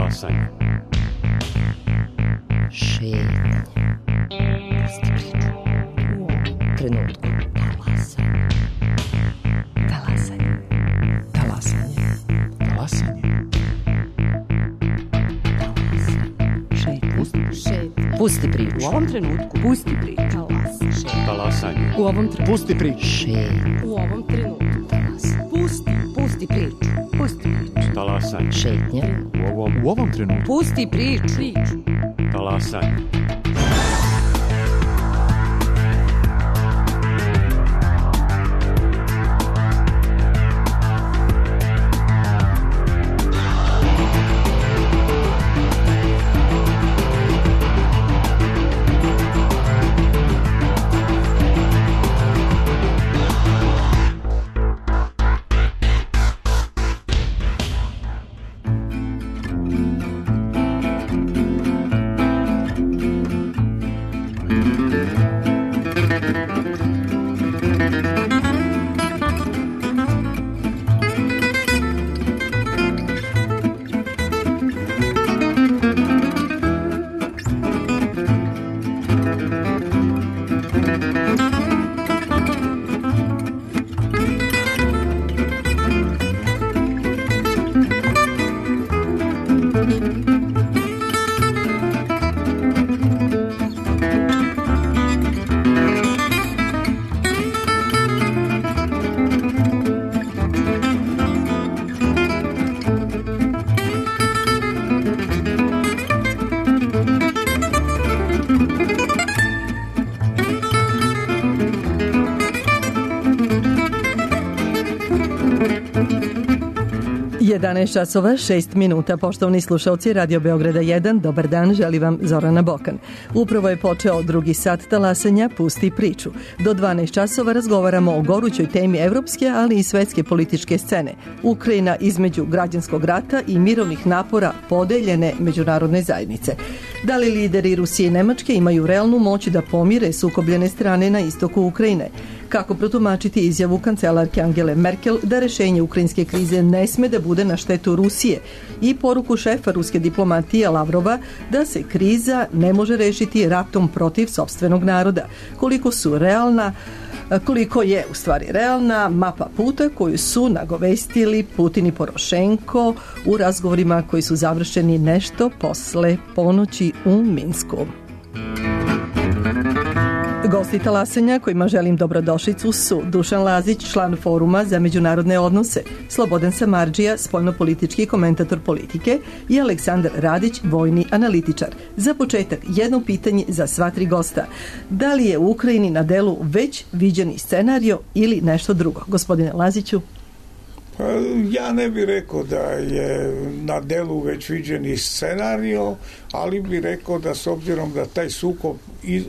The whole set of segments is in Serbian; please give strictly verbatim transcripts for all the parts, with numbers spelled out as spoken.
Talasanje. Šetnje. Pusti priču. U ovom trenutku. Talasanje. Talasanje. Talasanje. Talasanje. Šetnje. Pusti priču. U ovom trenutku. Pusti priču. Talasanje. U ovom trenutku. Pusti priču. Šetnje. U ovom trenutku. Talasanje. Pusti. Pusti priču. Pusti priču. Talasanje. Šetnje. U ovom, u ovom trenutku. Pusti priču. Priču. Talasanje. jedanaest časova šest minuta, poštovani slušalci Radio Beograda jedan, dobar dan, želi vam Zorana Bokan. Upravo je počeo drugi sat talasanja Pusti priču. Do dvanaest časova razgovaramo o gorućoj temi evropske, ali i svetske političke scene. Ukrajina između građanskog rata i mirovnih napora podeljene međunarodne zajednice. Da li lideri Rusije i Nemačke imaju realnu moć da pomire sukobljene strane na istoku Ukrajine? Kako protumačiti izjavu kancelarke Angele Merkel da rešenje ukrajinske krize ne sme da bude na štetu Rusije i poruku šefa ruske diplomatije Lavrova da se kriza ne može rešiti ratom protiv sopstvenog naroda? Koliko su realna koliko je u stvari realna mapa puta koju su nagovestili Putin i Porošenko u razgovorima koji su završeni nešto posle ponoći u Minsku. Gosti talasanja kojima želim dobrodošlicu su Dušan Lazić, član Foruma za međunarodne odnose, Slobodan Samardžija, spoljnopolitički komentator politike i Aleksandar Radić, vojni analitičar. Za početak, jedno pitanje za sva tri gosta. Da li je u Ukrajini na delu već viđeni scenario ili nešto drugo? Gospodine Laziću. Ja ne bih rekao da je na delu već viđeni scenario, ali bih rekao da s obzirom da taj sukob iz,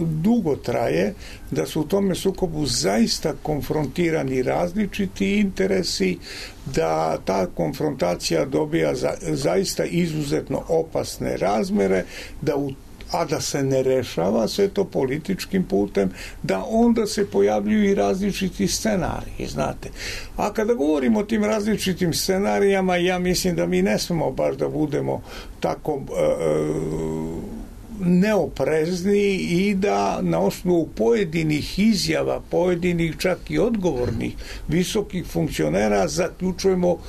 dugo traje, da su u tome sukobu zaista konfrontirani različiti interesi, da ta konfrontacija dobija za, zaista izuzetno opasne razmere, da u a da se ne rešava sve to političkim putem, da onda se pojavljuju i različiti scenariji, znate. A kada govorimo o tim različitim scenarijama, ja mislim da mi ne smemo baš da budemo tako uh, neoprezni i da na osnovu pojedinih izjava, pojedinih čak i odgovornih visokih funkcionera zaključujemo uh,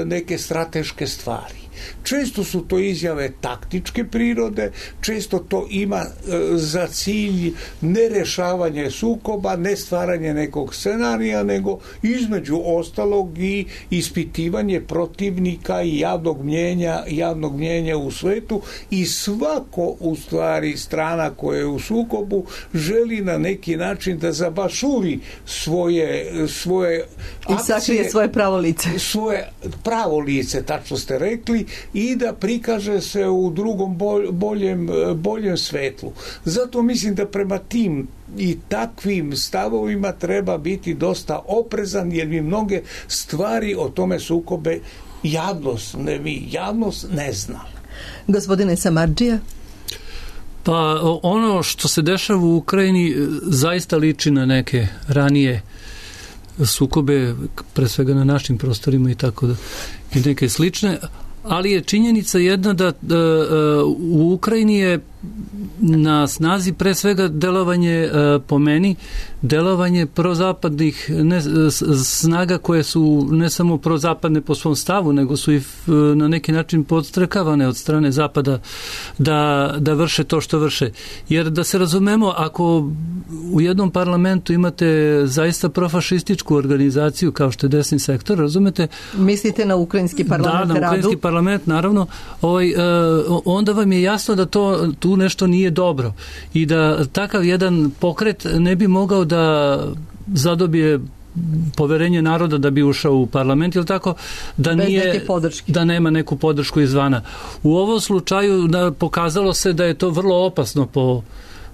neke strateške stvari. Često su to izjave taktičke prirode, često to ima e, za cilj ne rešavanje sukoba, ne stvaranje nekog scenarija, nego između ostalog i ispitivanje protivnika i javnog mnjenja, javnog mnjenja u svetu, i svako u stvari strana koja je u sukobu želi na neki način da zabašuri svoje, svoje i sakrije svoje pravo lice. Svoje pravo lice, tačno ste rekli, i da prikaže se u drugom boljem, boljem svetlu. Zato mislim da prema tim i takvim stavovima treba biti dosta oprezan, jer mi mnoge stvari o tome sukobe javnost ne, mi, javnost ne zna. Gospodine Samardžija? Pa ono što se dešava u Ukrajini zaista liči na neke ranije sukobe, pre svega na našim prostorima i tako da, i neke slične, ali je činjenica jedna da, da u Ukrajini je na snazi pre svega delovanje, po meni, delovanje prozapadnih ne, snaga koje su ne samo prozapadne po svom stavu, nego su i na neki način podstrekavane od strane Zapada da, da vrše to što vrše. Jer da se razumemo, ako u jednom parlamentu imate zaista profašističku organizaciju kao što je desni sektor, razumete? Mislite na ukrajinski parlament? Da, na ukrajinski radu? parlament, naravno. Ovaj, onda vam je jasno da to tu nešto nije dobro i da takav jedan pokret ne bi mogao da zadobije poverenje naroda da bi ušao u parlament, ili tako, da bez nije, neke podrške, da nema neku podršku izvana. U ovom slučaju da, pokazalo se da je to vrlo opasno po,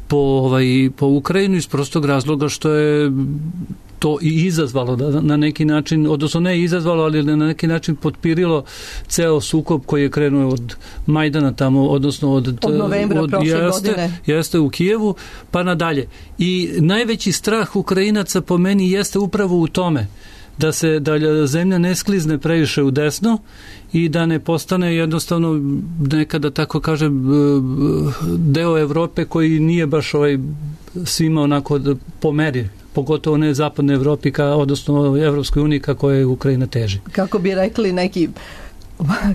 po, ovaj, po Ukrajinu iz prostog razloga što je to i izazvalo da na neki način, odnosno ne izazvalo, ali na neki način potpirilo ceo sukob koji je krenuo od Majdana tamo, odnosno od, od novembra od, prošle jeste, godine. Jeste u Kijevu, pa nadalje. I najveći strah Ukrajinaca po meni jeste upravo u tome da se da zemlja ne sklizne previše u desno i da ne postane jednostavno nekada, tako kažem, deo Evrope koji nije baš ovaj svima onako po meri, pogotovo ne zapadne Evropi, ka, odnosno Evropskoj uniji kako je Ukrajina teži. Kako bi rekli neki,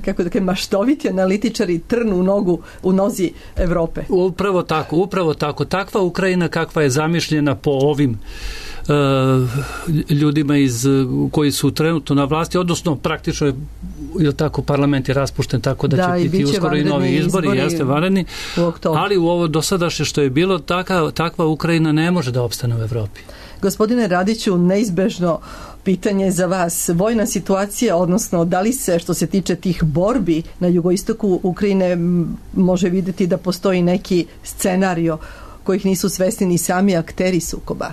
kako da kažem, maštoviti analitičari, trn u nogu, u nozi Evrope. Upravo tako, upravo tako. Takva Ukrajina kakva je zamišljena po ovim uh, ljudima iz, koji su trenutno na vlasti, odnosno praktično je, je tako, parlament je raspušten, tako da, da će biti uskoro i novi izbori, izbori jeste vanredni, ali u ovo dosadašnje što je bilo, taka, takva Ukrajina ne može da opstane u Evropi. Gospodine Radiću, neizbežno pitanje za vas. Vojna situacija, odnosno da li se, što se tiče tih borbi na jugoistoku Ukrajine, može vidjeti da postoji neki scenario kojih nisu svesni ni sami akteri sukoba?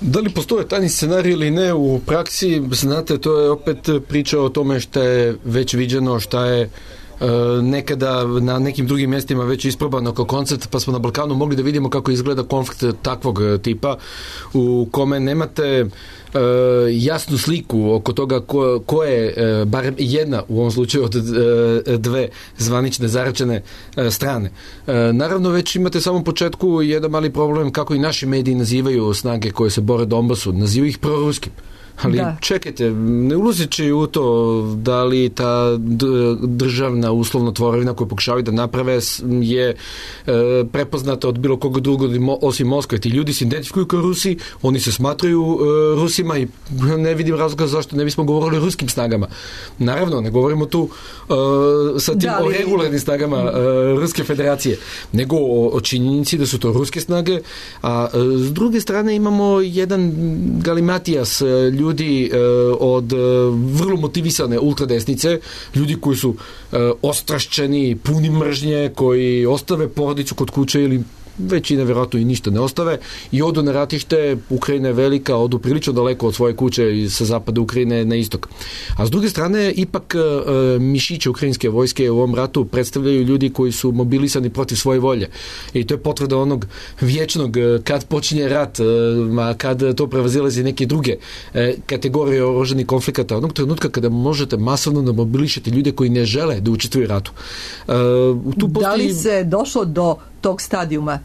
Da li postoje tajni scenarij ili ne u praksi, znate, to je opet priča o tome šta je već viđeno, šta je nekada na nekim drugim mjestima već isprobano kao koncept, pa smo na Balkanu mogli da vidimo kako izgleda konflikt takvog tipa u kome nemate uh, jasnu sliku oko toga ko, ko je uh, barem jedna u ovom slučaju od uh, dve zvanične zaračene uh, strane. Uh, naravno već imate samom početku jedan mali problem kako i naši mediji nazivaju snage koje se bore Donbasu, nazivaju ih proruskim. Ali da. Čekajte, ne ulazeći u to da li ta državna uslovno tvorevina koju pokušavaju da naprave je e, prepoznata od bilo koga drugog osim Moskve. Ti ljudi se identifikuju kao Rusi, oni se smatraju e, Rusima i ne vidim razloga zašto ne bismo govorili o ruskim snagama. Naravno, ne govorimo tu e, sa tim da, o regularnim snagama e, Ruske federacije, nego o, o činjenici da su to ruske snage, a e, s druge strane imamo jedan galimatijas ljudi ljudi e, od e, vrlo motivisane ultradesnice, ljudi koji su e, ostrašćeni, puni mržnje, koji ostave porodicu kod kuće ili većina vjerojatno i ništa ne ostave i odu na ratište. Ukrajina je velika, odu prilično daleko od svoje kuće i sa zapada Ukrajine na istok. A s druge strane, ipak e, mišiće ukrajinske vojske u ovom ratu predstavljaju ljudi koji su mobilisani protiv svoje volje. I to je potvrda onog vječnog, kad počinje rat, e, ma kad to prevazilazi neke druge e, kategorije oružanih konflikata, onog trenutka kada možete masovno da mobilišete ljude koji ne žele da učestvuju u ratu. E, tu postoji... Da li se došlo do tog stadijuma?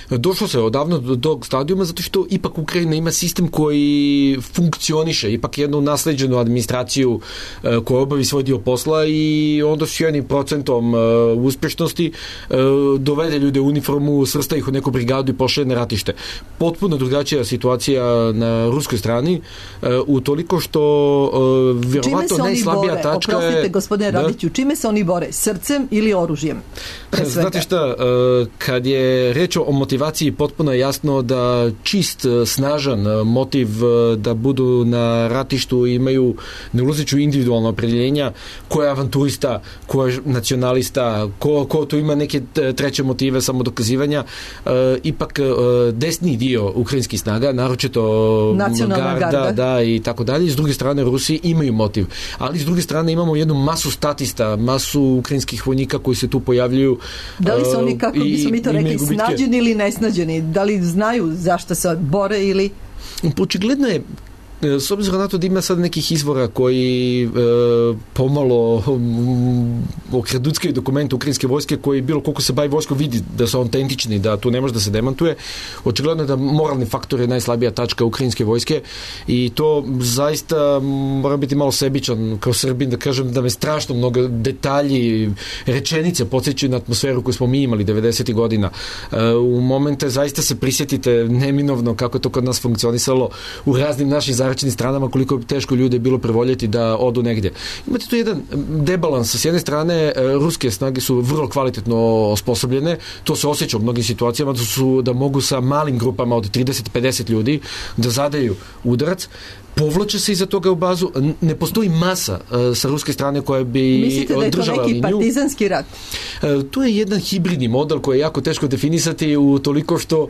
Došlo se odavno do tog stadijuma zato što ipak Ukrajina ima sistem koji funkcioniše, ipak jednu nasleđenu administraciju e, koja obavi svoj dio posla i onda s jednim procentom e, uspješnosti e, dovede ljude u uniformu, svrsta ih u neku brigadu i pošalje na ratište. Potpuno drugačija situacija na ruskoj strani, e, utoliko što e, vjerovatno najslabija bore? tačka je... Oprostite, gospodine Radiću, čime se oni bore? Srcem ili oružjem? Znate šta, e, kad je reč o motivaciji, potpuno je jasno da čist, snažan motiv da budu na ratištu imaju, ne ulazeću individualno opredjeljenja, ko je avanturista, ko je nacionalista, ko, ko tu ima neke treće motive samodokazivanja. E, ipak e, desni dio ukrajinskih snaga, naročito nacionalna garda, garda da, i tako dalje. S druge strane, Rusi imaju motiv. Ali s druge strane imamo jednu masu statista, masu ukrajinskih vojnika koji se tu pojavljuju. Da li su oni, kako bismo mi to rekli, snađeni ili nesnađeni? Da li znaju zašto se bore ili... Očigledno je S obzirom na to da ima sad nekih izvora koji e, pomalo um, okraduckaju dokumente ukrajinske vojske koji bilo koliko se bavi vojskom vidi da su autentični, da tu ne može da se demantuje. Očigledno je da moralni faktor je najslabija tačka ukrajinske vojske i to zaista mora biti malo sebičan kao Srbin, da kažem da me strašno mnogo detalji, rečenice podsjećaju na atmosferu koju smo mi imali devedesetih godina. E, u momente zaista se prisjetite neminovno kako je to kod nas funkcionisalo u raznim našim zaračenim stranama, koliko je teško ljude bilo prevoljeti da odu negdje. Imate tu jedan debalans. S jedne strane, ruske snage su vrlo kvalitetno osposobljene, to se osjeća u mnogim situacijama, da, su, da mogu sa malim grupama od trideset do pedeset ljudi da zadaju udarac, povlače se iza toga u bazu, ne postoji masa uh, sa ruske strane koja bi mislite da je to neki liniju. Partizanski rat? Uh, to je jedan hibridni model koji je jako teško definisati u toliko što uh,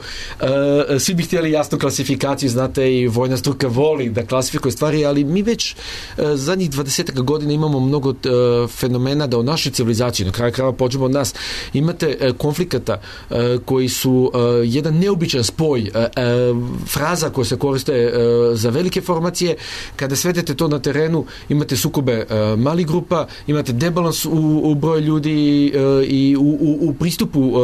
svi bi htjeli jasnu klasifikaciju, znate, i vojna struka voli da klasifikuje stvari, ali mi već uh, zadnjih dvadesetak godina imamo mnogo uh, fenomena da u našoj civilizaciji, na kraju krajeva pođemo od nas, imate uh, konflikata uh, koji su uh, jedan neobičan spoj uh, uh, fraza koje se koriste uh, za velike formacije. Kada svedete to na terenu, imate sukobe uh, malih grupa, imate debalans u, u broju ljudi uh, i u, u, u pristupu uh,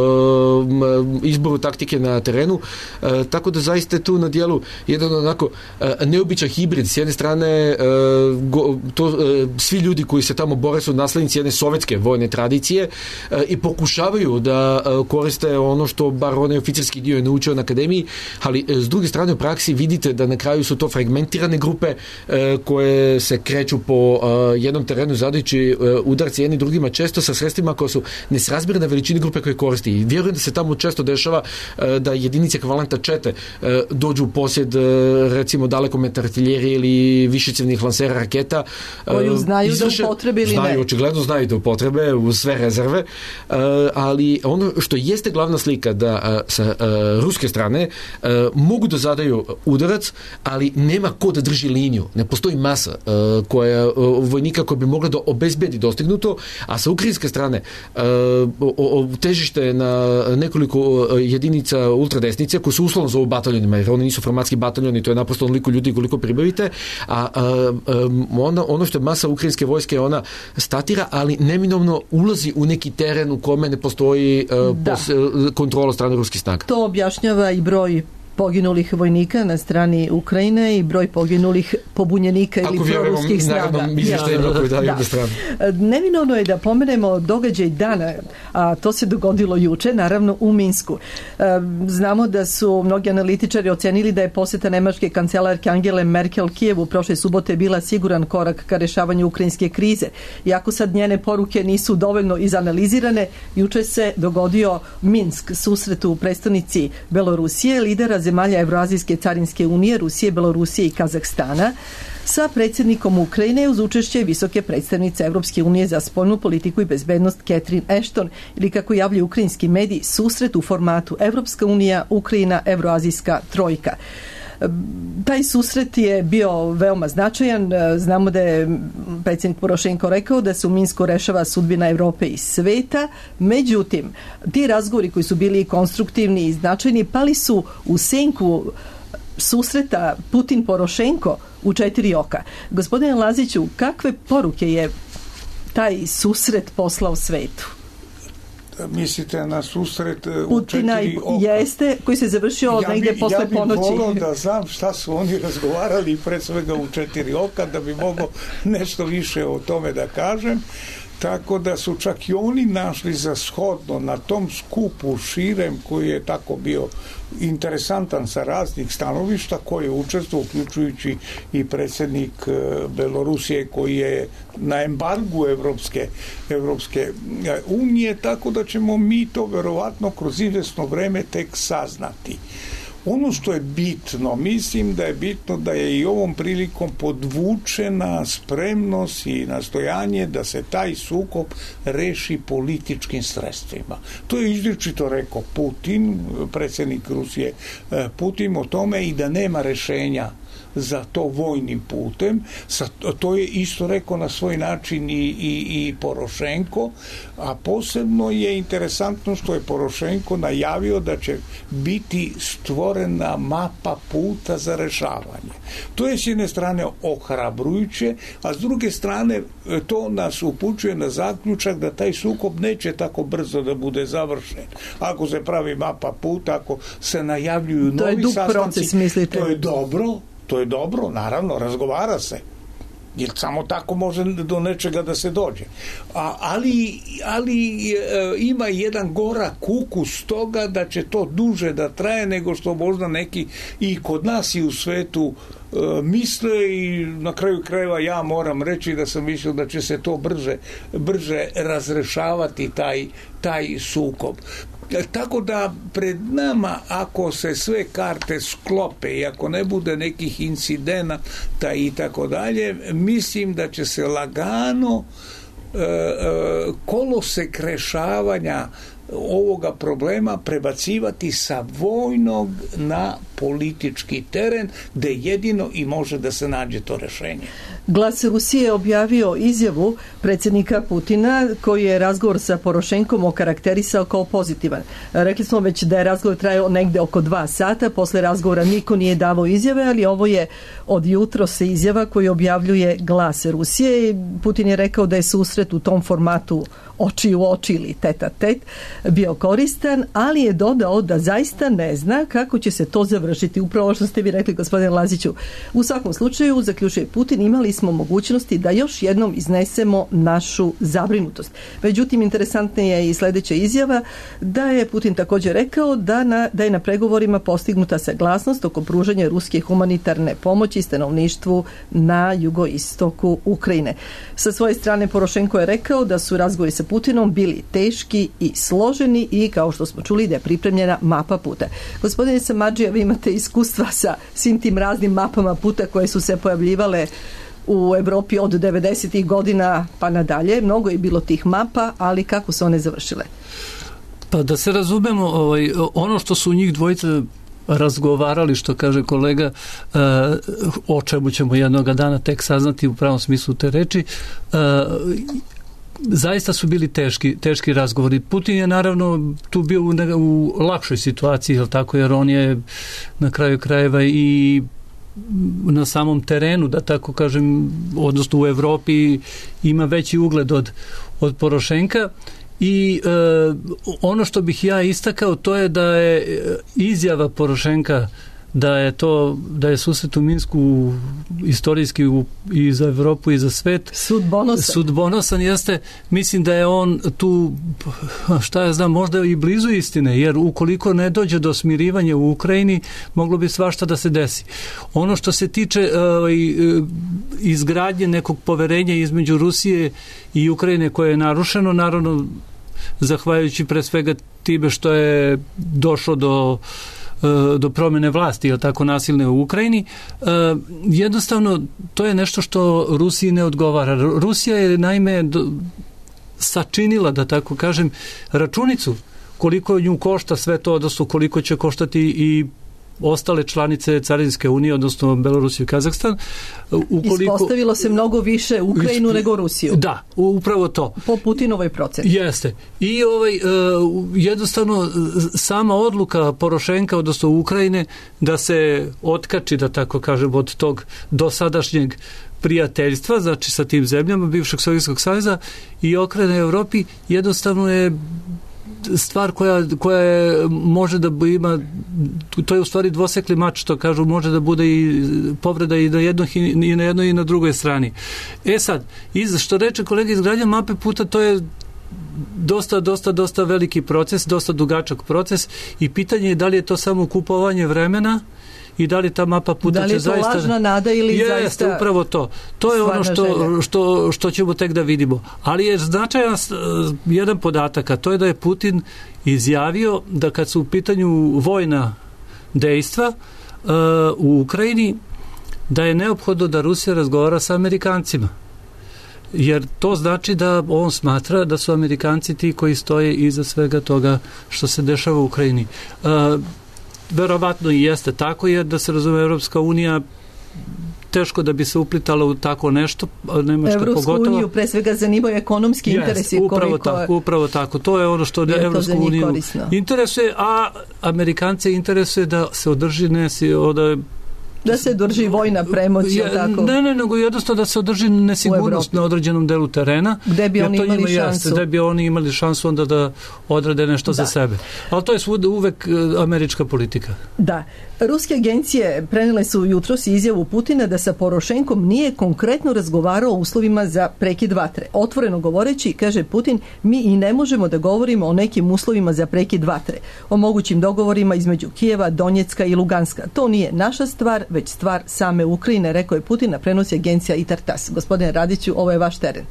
izboru taktike na terenu, uh, tako da zaista je tu na dijelu jedan onako uh, neobičan hibrid. S jedne strane uh, go, to, uh, svi ljudi koji se tamo bore su naslednici jedne sovjetske vojne tradicije uh, i pokušavaju da uh, koriste ono što bar onaj oficirski dio je naučio na akademiji, ali uh, s druge strane u praksi vidite da na kraju su to fragmentirane grupe e, koje se kreću po e, jednom terenu zadajući e, udarci jedni drugima, često sa sredstvima koja su nesrazmjerne veličine grupe koje koristi. I vjerujem da se tamo često dešava e, da jedinice ekvivalenta čete e, dođu u posjed e, recimo dalekometne artiljerije ili višecjevnih lansera raketa. E, koju znaju izvrše, da upotrebe ili znaju, ne? Očigledno znaju da upotrebe u sve rezerve, e, ali ono što jeste glavna slika da e, sa e, ruske strane e, mogu da zadaju udarac, ali nema ko da drži liniju. Ne postoji masa uh, koja, uh, vojnika koja bi mogla da obezbedi dostignuto, a sa ukrajinske strane uh, o, o, težište na nekoliko uh, jedinica ultradesnice koji su uslovno zovu bataljonima, jer oni nisu formatski bataljoni, to je naprosto onoliko ljudi koliko pribavite, a uh, um, ona, ono što je masa ukrajinske vojske, ona statira, ali neminovno ulazi u neki teren u kome ne postoji uh, pos, uh, kontrola strane ruskih snaga. To objašnjava i broj poginulih vojnika na strani Ukrajine i broj poginulih pobunjenika ili proruskih snaga. Ja. Neminovno je da pomenemo događaj dana, a to se dogodilo juče, naravno u Minsku. Znamo da su mnogi analitičari ocenili da je posjeta nemačke kancelarke Angele Merkel Kijevu prošle subote bila siguran korak ka rešavanju ukrajinske krize. Iako sad njene poruke nisu dovoljno izanalizirane, juče se dogodio Minsk, susret u prestonici Belorusije, lidera zemalja Evroazijske carinske unije, Rusije, Belorusije i Kazahstana, sa predsjednikom Ukrajine uz učešće visoke predstavnice Evropske unije za spoljnu politiku i bezbednost Catherine Ashton, ili kako javljaju ukrajinski mediji, susret u formatu Evropska unija, Ukrajina, Evroazijska trojka. Taj susret je bio veoma značajan. Znamo da je predsjednik Porošenko rekao da se u Minsku rešava sudbina Evrope i sveta. Međutim, ti razgovori koji su bili konstruktivni i značajni pali su u senku susreta Putin-Porošenko u četiri oka. Gospodine Laziću, kakve poruke je taj susret poslao svetu? Mislite na susret u Putina četiri oka? Jeste, koji se završio ja negdje posle ja ponoći. Ja bih volao da znam šta su oni razgovarali pre svega u četiri oka, da bi mogao nešto više o tome da kažem. Tako da su čak i oni našli za shodno na tom skupu širem koji je tako bio interesantan sa raznih stanovišta, koji je učestvovao, uključujući i predsjednik Belorusije koji je na embargu Evropske, Evropske unije, tako da ćemo mi to verovatno kroz izvesno vreme tek saznati. Ono što je bitno, mislim da je bitno da je i ovom prilikom podvučena spremnost i nastojanje da se taj sukob reši političkim sredstvima. To je izričito rekao Putin, predsjednik Rusije Putin, o tome i da nema rešenja za to vojnim putem. To je isto rekao na svoj način i, i, i Porošenko, a posebno je interesantno što je Porošenko najavio da će biti stvorena mapa puta za rešavanje. To je s jedne strane ohrabrujuće, a s druge strane to nas upućuje na zaključak da taj sukob neće tako brzo da bude završen. Ako se pravi mapa puta, ako se najavljuju to novi sastanci, proces, mislite? to je dobro, to je dobro, naravno, razgovara se. Jer samo tako može do nečega da se dođe. A, ali ali e, ima jedan gorak ukus toga da će to duže da traje nego što možda neki i kod nas i u svetu e, misle, i na kraju krajeva ja moram reći da sam mislio da će se to brže, brže razrešavati taj, taj sukob. Tako da pred nama, ako se sve karte sklope i ako ne bude nekih incidenata i tako dalje, mislim da će se lagano e, e, kolosek rešavanja ovoga problema prebacivati sa vojnog na politički teren, gde jedino i može da se nađe to rešenje. Glas Rusije je objavio izjavu predsjednika Putina koji je razgovor sa Porošenkom okarakterisao kao pozitivan. Rekli smo već da je razgovor trajao negde oko dva sata, posle razgovora niko nije davao izjave, ali ovo je od jutro se izjava koju objavljuje Glas Rusije. Putin je rekao da je susret u tom formatu oči u oči ili teta tet bio koristan, ali je dodao da zaista ne zna kako će se to završiti. Upravo što ste vi rekli, gospodine Laziću. U svakom slučaju, zaključuje Putin, imali smo mogućnosti da još jednom iznesemo našu zabrinutost. Međutim, interesantna je i sljedeća izjava da je Putin također rekao da, na, da je na pregovorima postignuta saglasnost oko pružanja ruske humanitarne pomoći stanovništvu na jugoistoku Ukrajine. Sa svoje strane Porošenko je rekao da su razgovori sa Putinom bili teški i složeni i, kao što smo čuli, da je pripremljena mapa puta. Gospodine Samardžija, vi imate iskustva sa svim tim raznim mapama puta koje su se pojavljivale u Evropi od devedesetih godina pa nadalje. Mnogo je bilo tih mapa, ali kako su one završile? Pa da se razumemo, ovaj, ono što su njih dvojica razgovarali, što kaže kolega, uh, o čemu ćemo jednoga dana tek saznati u pravom smislu te reči, uh, zaista su bili teški, teški razgovori. Putin je naravno tu bio u, u lakšoj situaciji, jel tako, jer on je na kraju krajeva i na samom terenu, da tako kažem, odnosno u Evropi ima veći ugled od, od Porošenka. I e, ono što bih ja istakao, to je da je izjava Porošenka da je to, da je susret u Minsku istorijski u, i za Evropu i za svet sudbonosan. sudbonosan jeste, mislim da je on tu, šta ja znam, možda i blizu istine, jer ukoliko ne dođe do smirivanja u Ukrajini, moglo bi svašta da se desi. Ono što se tiče uh, izgradnje nekog poverenja između Rusije i Ukrajine koje je narušeno, naravno zahvaljujući pre svega time što je došlo do do promjene vlasti, ili tako nasilne u Ukrajini, jednostavno to je nešto što Rusiji ne odgovara. Rusija je naime sačinila, da tako kažem, računicu koliko nju košta sve to, odnosno koliko će koštati i ostale članice Carinske unije, odnosno Belorusiju i Kazahstan. Ukoliko, ispostavilo se mnogo više Ukrajinu nego Rusiju. Da, upravo to. Po Putinovoj proceni. Jeste. I ovaj, jednostavno sama odluka Porošenka, odnosno Ukrajine, da se otkači, da tako kažem, od tog dosadašnjeg prijateljstva, znači sa tim zemljama bivšeg Sovjetskog saveza i okrene Evropi, jednostavno je stvar koja, koja je, može da ima, to je u stvari dvosekli mač, što kažu, može da bude i povreda i na jednoj i na jednoj i na drugoj strani. E sad, iz, što reče kolega, izgradnja mape puta, to je dosta, dosta, dosta veliki proces, dosta dugačak proces i pitanje je da li je to samo kupovanje vremena i da li ta mapa puta će zaista... Da li je to zaista lažna nada ili je, zaista... Jeste, upravo to. To je ono što, što, što ćemo tek da vidimo. Ali je značajan jedan podatak, a to je da je Putin izjavio da kad su u pitanju vojna dejstva uh, u Ukrajini, da je neophodno da Rusija razgovara sa Amerikancima. Jer to znači da on smatra da su Amerikanci ti koji stoje iza svega toga što se dešava u Ukrajini. Uh, verovatno i jeste tako, jer da se razume, Evropska unija teško da bi se uplitala u tako nešto, Nemačka Evropsku pogotovo. uniju pre svega zanimaju ekonomski Yes, interesi. upravo koliko tako, upravo tako. To je ono što je to Evropsku za njih uniju korisno. interesuje, a Amerikance interesuje da se održi nesi, da da se drži vojna premoć, je tako? Ne, ne, nego jednostavno da se održi nesigurnost na određenom delu terena. Gde bi oni imali njima šansu. Jeste, gde bi oni imali šansu onda da odrade nešto da. za sebe. Ali to je svuda uvek američka politika. Da. Ruske agencije prenele su jutros izjavu Putina da sa Porošenkom nije konkretno razgovarao o uslovima za prekid vatre. Otvoreno govoreći, kaže Putin, mi i ne možemo da govorimo o nekim uslovima za prekid vatre, o mogućim dogovorima između Kijeva, Donjecka i Luganska. To nije naša stvar, već stvar same Ukrajine, rekao je Putin, na prenosi agencija I T A R T A S. Gospodine Radiću, ovo je vaš teren.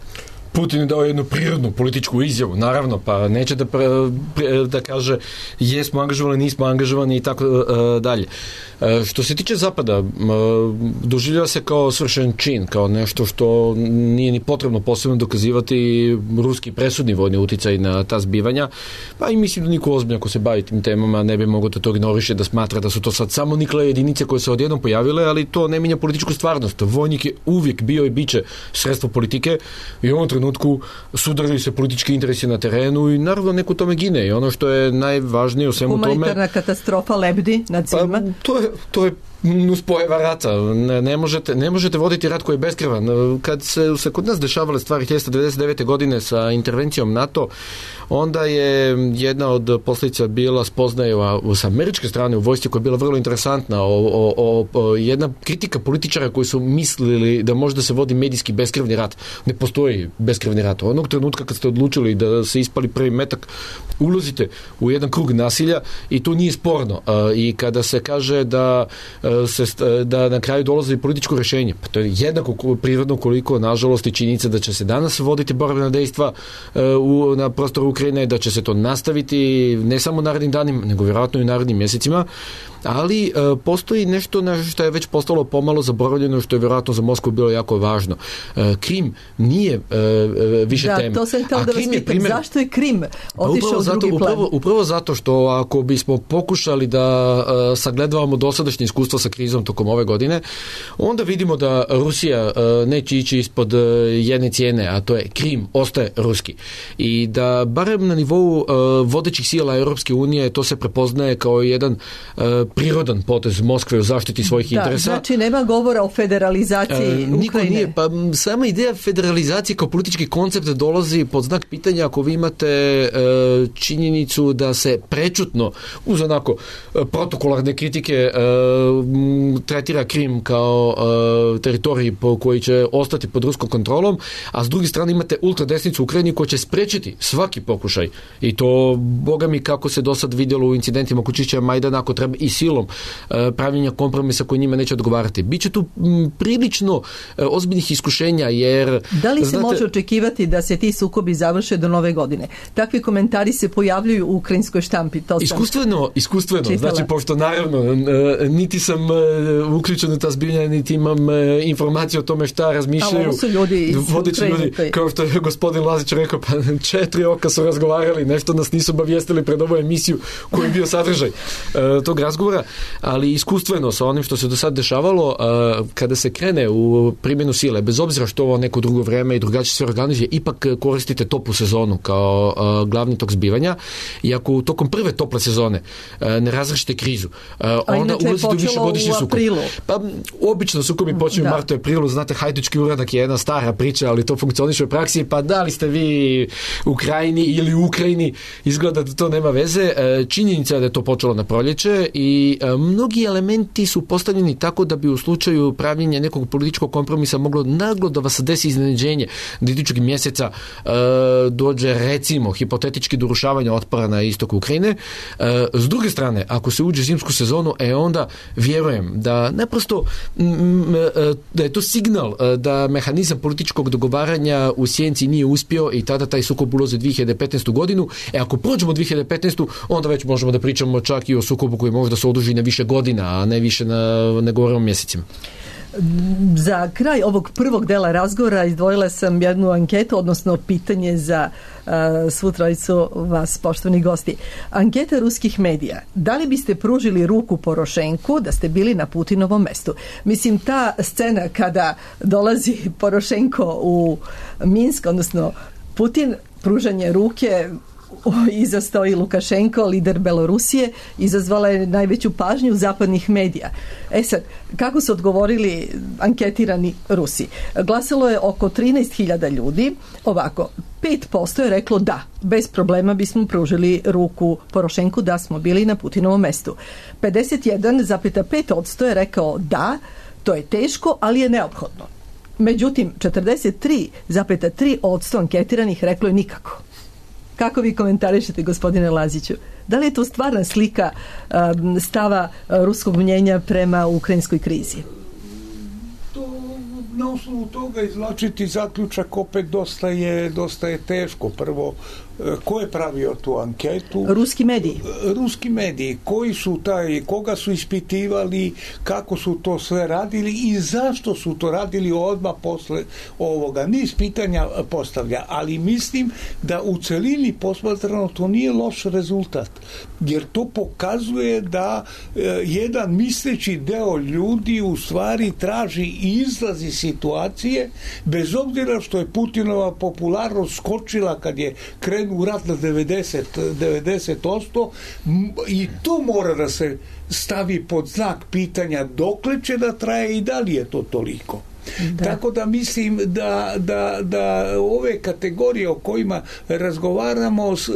Putin je dao jednu prirodnu političku izjavu, naravno, pa neće da, pre, pre, da kaže jesmo angažovani, nismo angažovani i tako uh, dalje. Uh, što se tiče Zapada, uh, doživljava se kao svršen čin, kao nešto što nije ni potrebno posebno dokazivati ruski presudni vojni uticaj na ta zbivanja, pa i mislim da niko ozbiljno ko se bavi tim temama ne bi mogao da to ignoriše, da smatra da su to sad samo nikle jedinice koje se odjednom pojavile, ali to ne mijenja političku stvarnost. Vojnik je uvijek bio i biće sredstvo politike i u ovom trenutku sudaraju se politički interesi na terenu i naravno neko tome gine i ono što je najvažnije u svemu tome... Humanitarna katastrofa lebdi nad svima. Pa, to je, to je nuspojava rata. Ne, ne, možete, ne možete voditi rat koji je beskrvan. Kad se, se kod nas dešavale stvari hiljadu devetsto devedeset devete. godine sa intervencijom NATO, onda je jedna od posljedica bila spoznaja s američke strane u vojsci koja je bila vrlo interesantna o, o, o, o jedna kritika političara koji su mislili da možda se vodi medijski beskrvni rat. Ne postoji beskrvni rat. Onog trenutka kad ste odlučili da se ispali prvi metak, ulazite u jedan krug nasilja i to nije sporno. I kada se kaže da se, da na kraju dolazi političko rješenje, pa to je jednako prirodno koliko nažalost i činjenica da će se danas voditi borbena dejstva u, na prostoru Ukrajine, da će se to nastaviti ne samo narednim danima, nego vjerojatno i narednim mjesecima, ali e, postoji nešto na što je već postalo pomalo zaboravljeno, što je vjerojatno za Moskvu bilo jako važno. E, Krim nije e, više da, tema. Da, to sam htio da vas pitam. Primjer... Zašto je Krim otišao u zato, drugi plan? Upravo, upravo zato što ako bismo pokušali da e, sagledavamo dosadašnje iskustvo sa krizom tokom ove godine, onda vidimo da Rusija e, neće ići ispod e, jedne cijene, a to je Krim ostaje ruski. I da barem na nivou e, vodećih sila Europske unije to se prepoznaje kao jedan e, prirodan potez Moskve u zaštiti svojih da, interesa. Znači nema govora o federalizaciji e, Ukrajine. Niko nije, pa sama ideja federalizacije kao politički koncept dolazi pod znak pitanja ako vi imate e, činjenicu da se prečutno uz onako e, protokolarne kritike e, tretira Krim kao e, teritorij po koji će ostati pod ruskom kontrolom, a s druge strane imate ultradesnicu u Ukrajini koja će sprečiti svaki pokušaj i to boga mi kako se do sad vidjelo u incidentima oko čišćenja Majdana, ako treba i silom e, pravljenja kompromisa koji njima neće odgovarati. Biće tu m, prilično e, ozbiljnih iskušenja jer... Da li se znate, može očekivati da se ti sukobi završe do nove godine? Takvi komentari se pojavljuju u ukrajinskoj štampi. To sam iskustveno, iskustveno. čitala. Znači, pošto naravno e, niti sam e, uključen u ta zbiljanja, niti imam e, informacije o tome šta razmišljaju. A ovo su ljudi iz vodeći ljudi, kao što je gospodin Lazić rekao, pa četiri oka su razgovarali, nešto nas nisu obavijestili pred ovu emisiju koji je bio sadržaj e, tog razgovora, ali iskustveno sa onim što se do sad dešavalo, e, kada se krene u primjenu sile, bez obzira što ovo neko drugo vreme i drugačije sve organizuje, ipak koristite toplu sezonu kao e, glavni tok zbivanja i ako tokom prve tople sezone e, ne razrešite krizu, e, onda ulazite u višegodišnji sukob. Pa obično sukobi počinju u martu i aprilu, znate, hajdučki uradak je jedna stara priča, ali to funkcioniše u praksi, pa da li ste vi u Ukrajini ili u Ukrajini, izgleda da to nema veze. E, činjenica je da je to počelo na proljeće i e, mnogi elementi su postavljeni tako da bi u slučaju pravljenja nekog političkog kompromisa moglo naglo da vas desi iznenađenje da idućeg mjeseca e, dođe recimo hipotetički do urušavanja otpora na istoku Ukrajine. E, s druge strane, ako se uđe zimsku sezonu, e onda vjerujem da naprosto m, da je to signal da mehanizam političkog dogovaranja u sjenci nije uspio i tada taj sukob ulazi u dvije hiljade petnaestu. godinu. E ako prođemo dvije hiljade petnaestu. onda već možemo da pričamo čak i o sukobu koji možda se oduži na više godina, a ne više na, ne govorimo o mjesecima. Za kraj ovog prvog dela razgovora izdvojila sam jednu anketu, odnosno pitanje za uh, svu trojicu vas, poštovani gosti. Anketa ruskih medija. Da li biste pružili ruku Porošenku da ste bili na Putinovom mestu? Mislim, ta scena kada dolazi Porošenko u Minsk, odnosno Putin, pružanje ruke, iza stoji Lukašenko, lider Belorusije, izazvala je najveću pažnju zapadnih medija. E sad, kako su odgovorili anketirani Rusi? Glasalo je oko trinaest hiljada ljudi. Ovako, pet posto je reklo da, bez problema bismo pružili ruku Porošenku da smo bili na Putinovom mestu. pedeset jedan zarez pet posto je rekao da, to je teško, ali je neophodno. Međutim, četrdeset tri zarez tri posto anketiranih reklo je nikako. Kako vi komentarišete, gospodine Laziću? Da li je to stvarna slika um, stava uh, ruskog mnjenja prema ukrajinskoj krizi? To, na osnovu toga izvlačiti zaključak opet dosta je, dosta je teško. Prvo, ko je pravio tu anketu? Ruski mediji. Ruski mediji. Koji su taj, koga su ispitivali, kako su to sve radili i zašto su to radili odmah posle ovoga. Niz pitanja postavlja, ali mislim da u celini posmatrano to nije loš rezultat. Jer to pokazuje da e, jedan misleći deo ljudi u stvari traži izlaz iz situacije, bez obzira što je Putinova popularnost skočila kad je krenuo u rat na devedeset, devedeset posto i to mora da se stavi pod znak pitanja dokle će da traje i da li je to toliko. Da. Tako da mislim da, da, da ove kategorije o kojima razgovaramo s,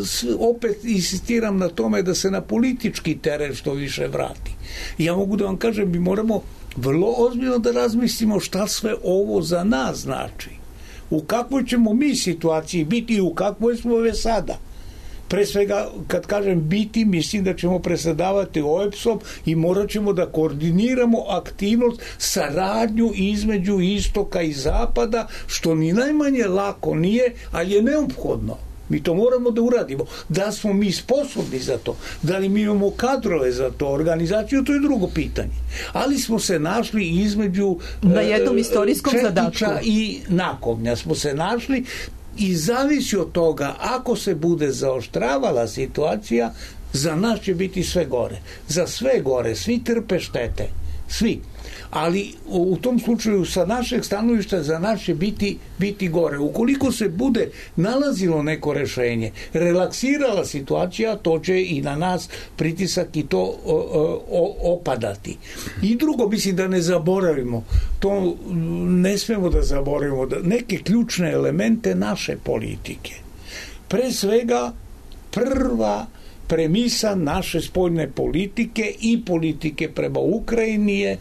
s, opet insistiram na tome da se na politički teren što više vrati. Ja mogu da vam kažem, mi moramo vrlo ozbiljno da razmislimo šta sve ovo za nas znači. U kakvoj ćemo mi situaciji biti i u kakvoj smo već sada. Pre svega, kad kažem biti, mislim da ćemo presedavati O E B S-om i morat ćemo da koordiniramo aktivnost, saradnju između istoka i zapada, što ni najmanje lako nije, ali je neophodno. Mi to moramo da uradimo. Da smo mi sposobni za to, da li mi imamo kadrove za to, organizaciju, to je drugo pitanje. Ali smo se našli između na jednom istorijskom zadatku i nakovnja smo se našli i zavisi od toga, ako se bude zaoštravala situacija, za nas će biti sve gore. Za sve gore, svi trpe štete. Svi. Ali u tom slučaju sa našeg stanovišta za nas će biti, biti gore. Ukoliko se bude nalazilo neko rešenje, relaksirala situacija, to će i na nas pritisak i to o, o, opadati. I drugo, mislim da ne zaboravimo, to ne smemo da zaboravimo, da neke ključne elemente naše politike. Pre svega, prva premisa naše spoljne politike i politike prema Ukrajini je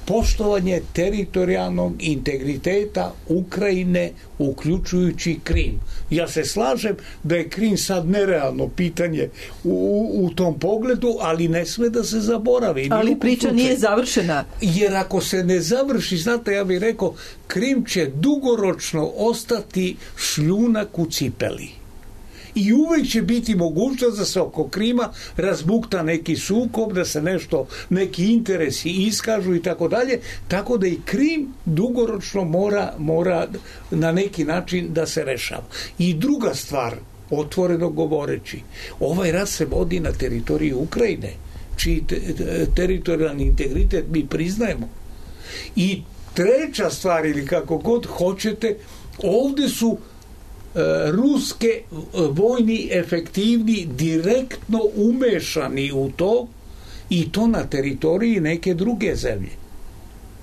poštovanje teritorijalnog integriteta Ukrajine, uključujući Krim. Ja se slažem da je Krim sad nerealno pitanje u, u tom pogledu, ali ne sme da se zaboravi. Ali priča slučaju nije završena. Jer ako se ne završi, znate, ja bih rekao, Krim će dugoročno ostati šljunak u cipeli. I uvek će biti mogućnost da se oko Krima razbukta neki sukob, da se nešto, neki interesi iskažu i tako dalje, tako da i Krim dugoročno mora, mora na neki način da se rešava. I druga stvar, otvoreno govoreći, ovaj rat se vodi na teritoriji Ukrajine, čiji te, teritorijalni integritet mi priznajemo. I treća stvar, ili kako god hoćete, ovde su ruske vojni efektivni direktno umešani u to i to na teritoriji neke druge zemlje.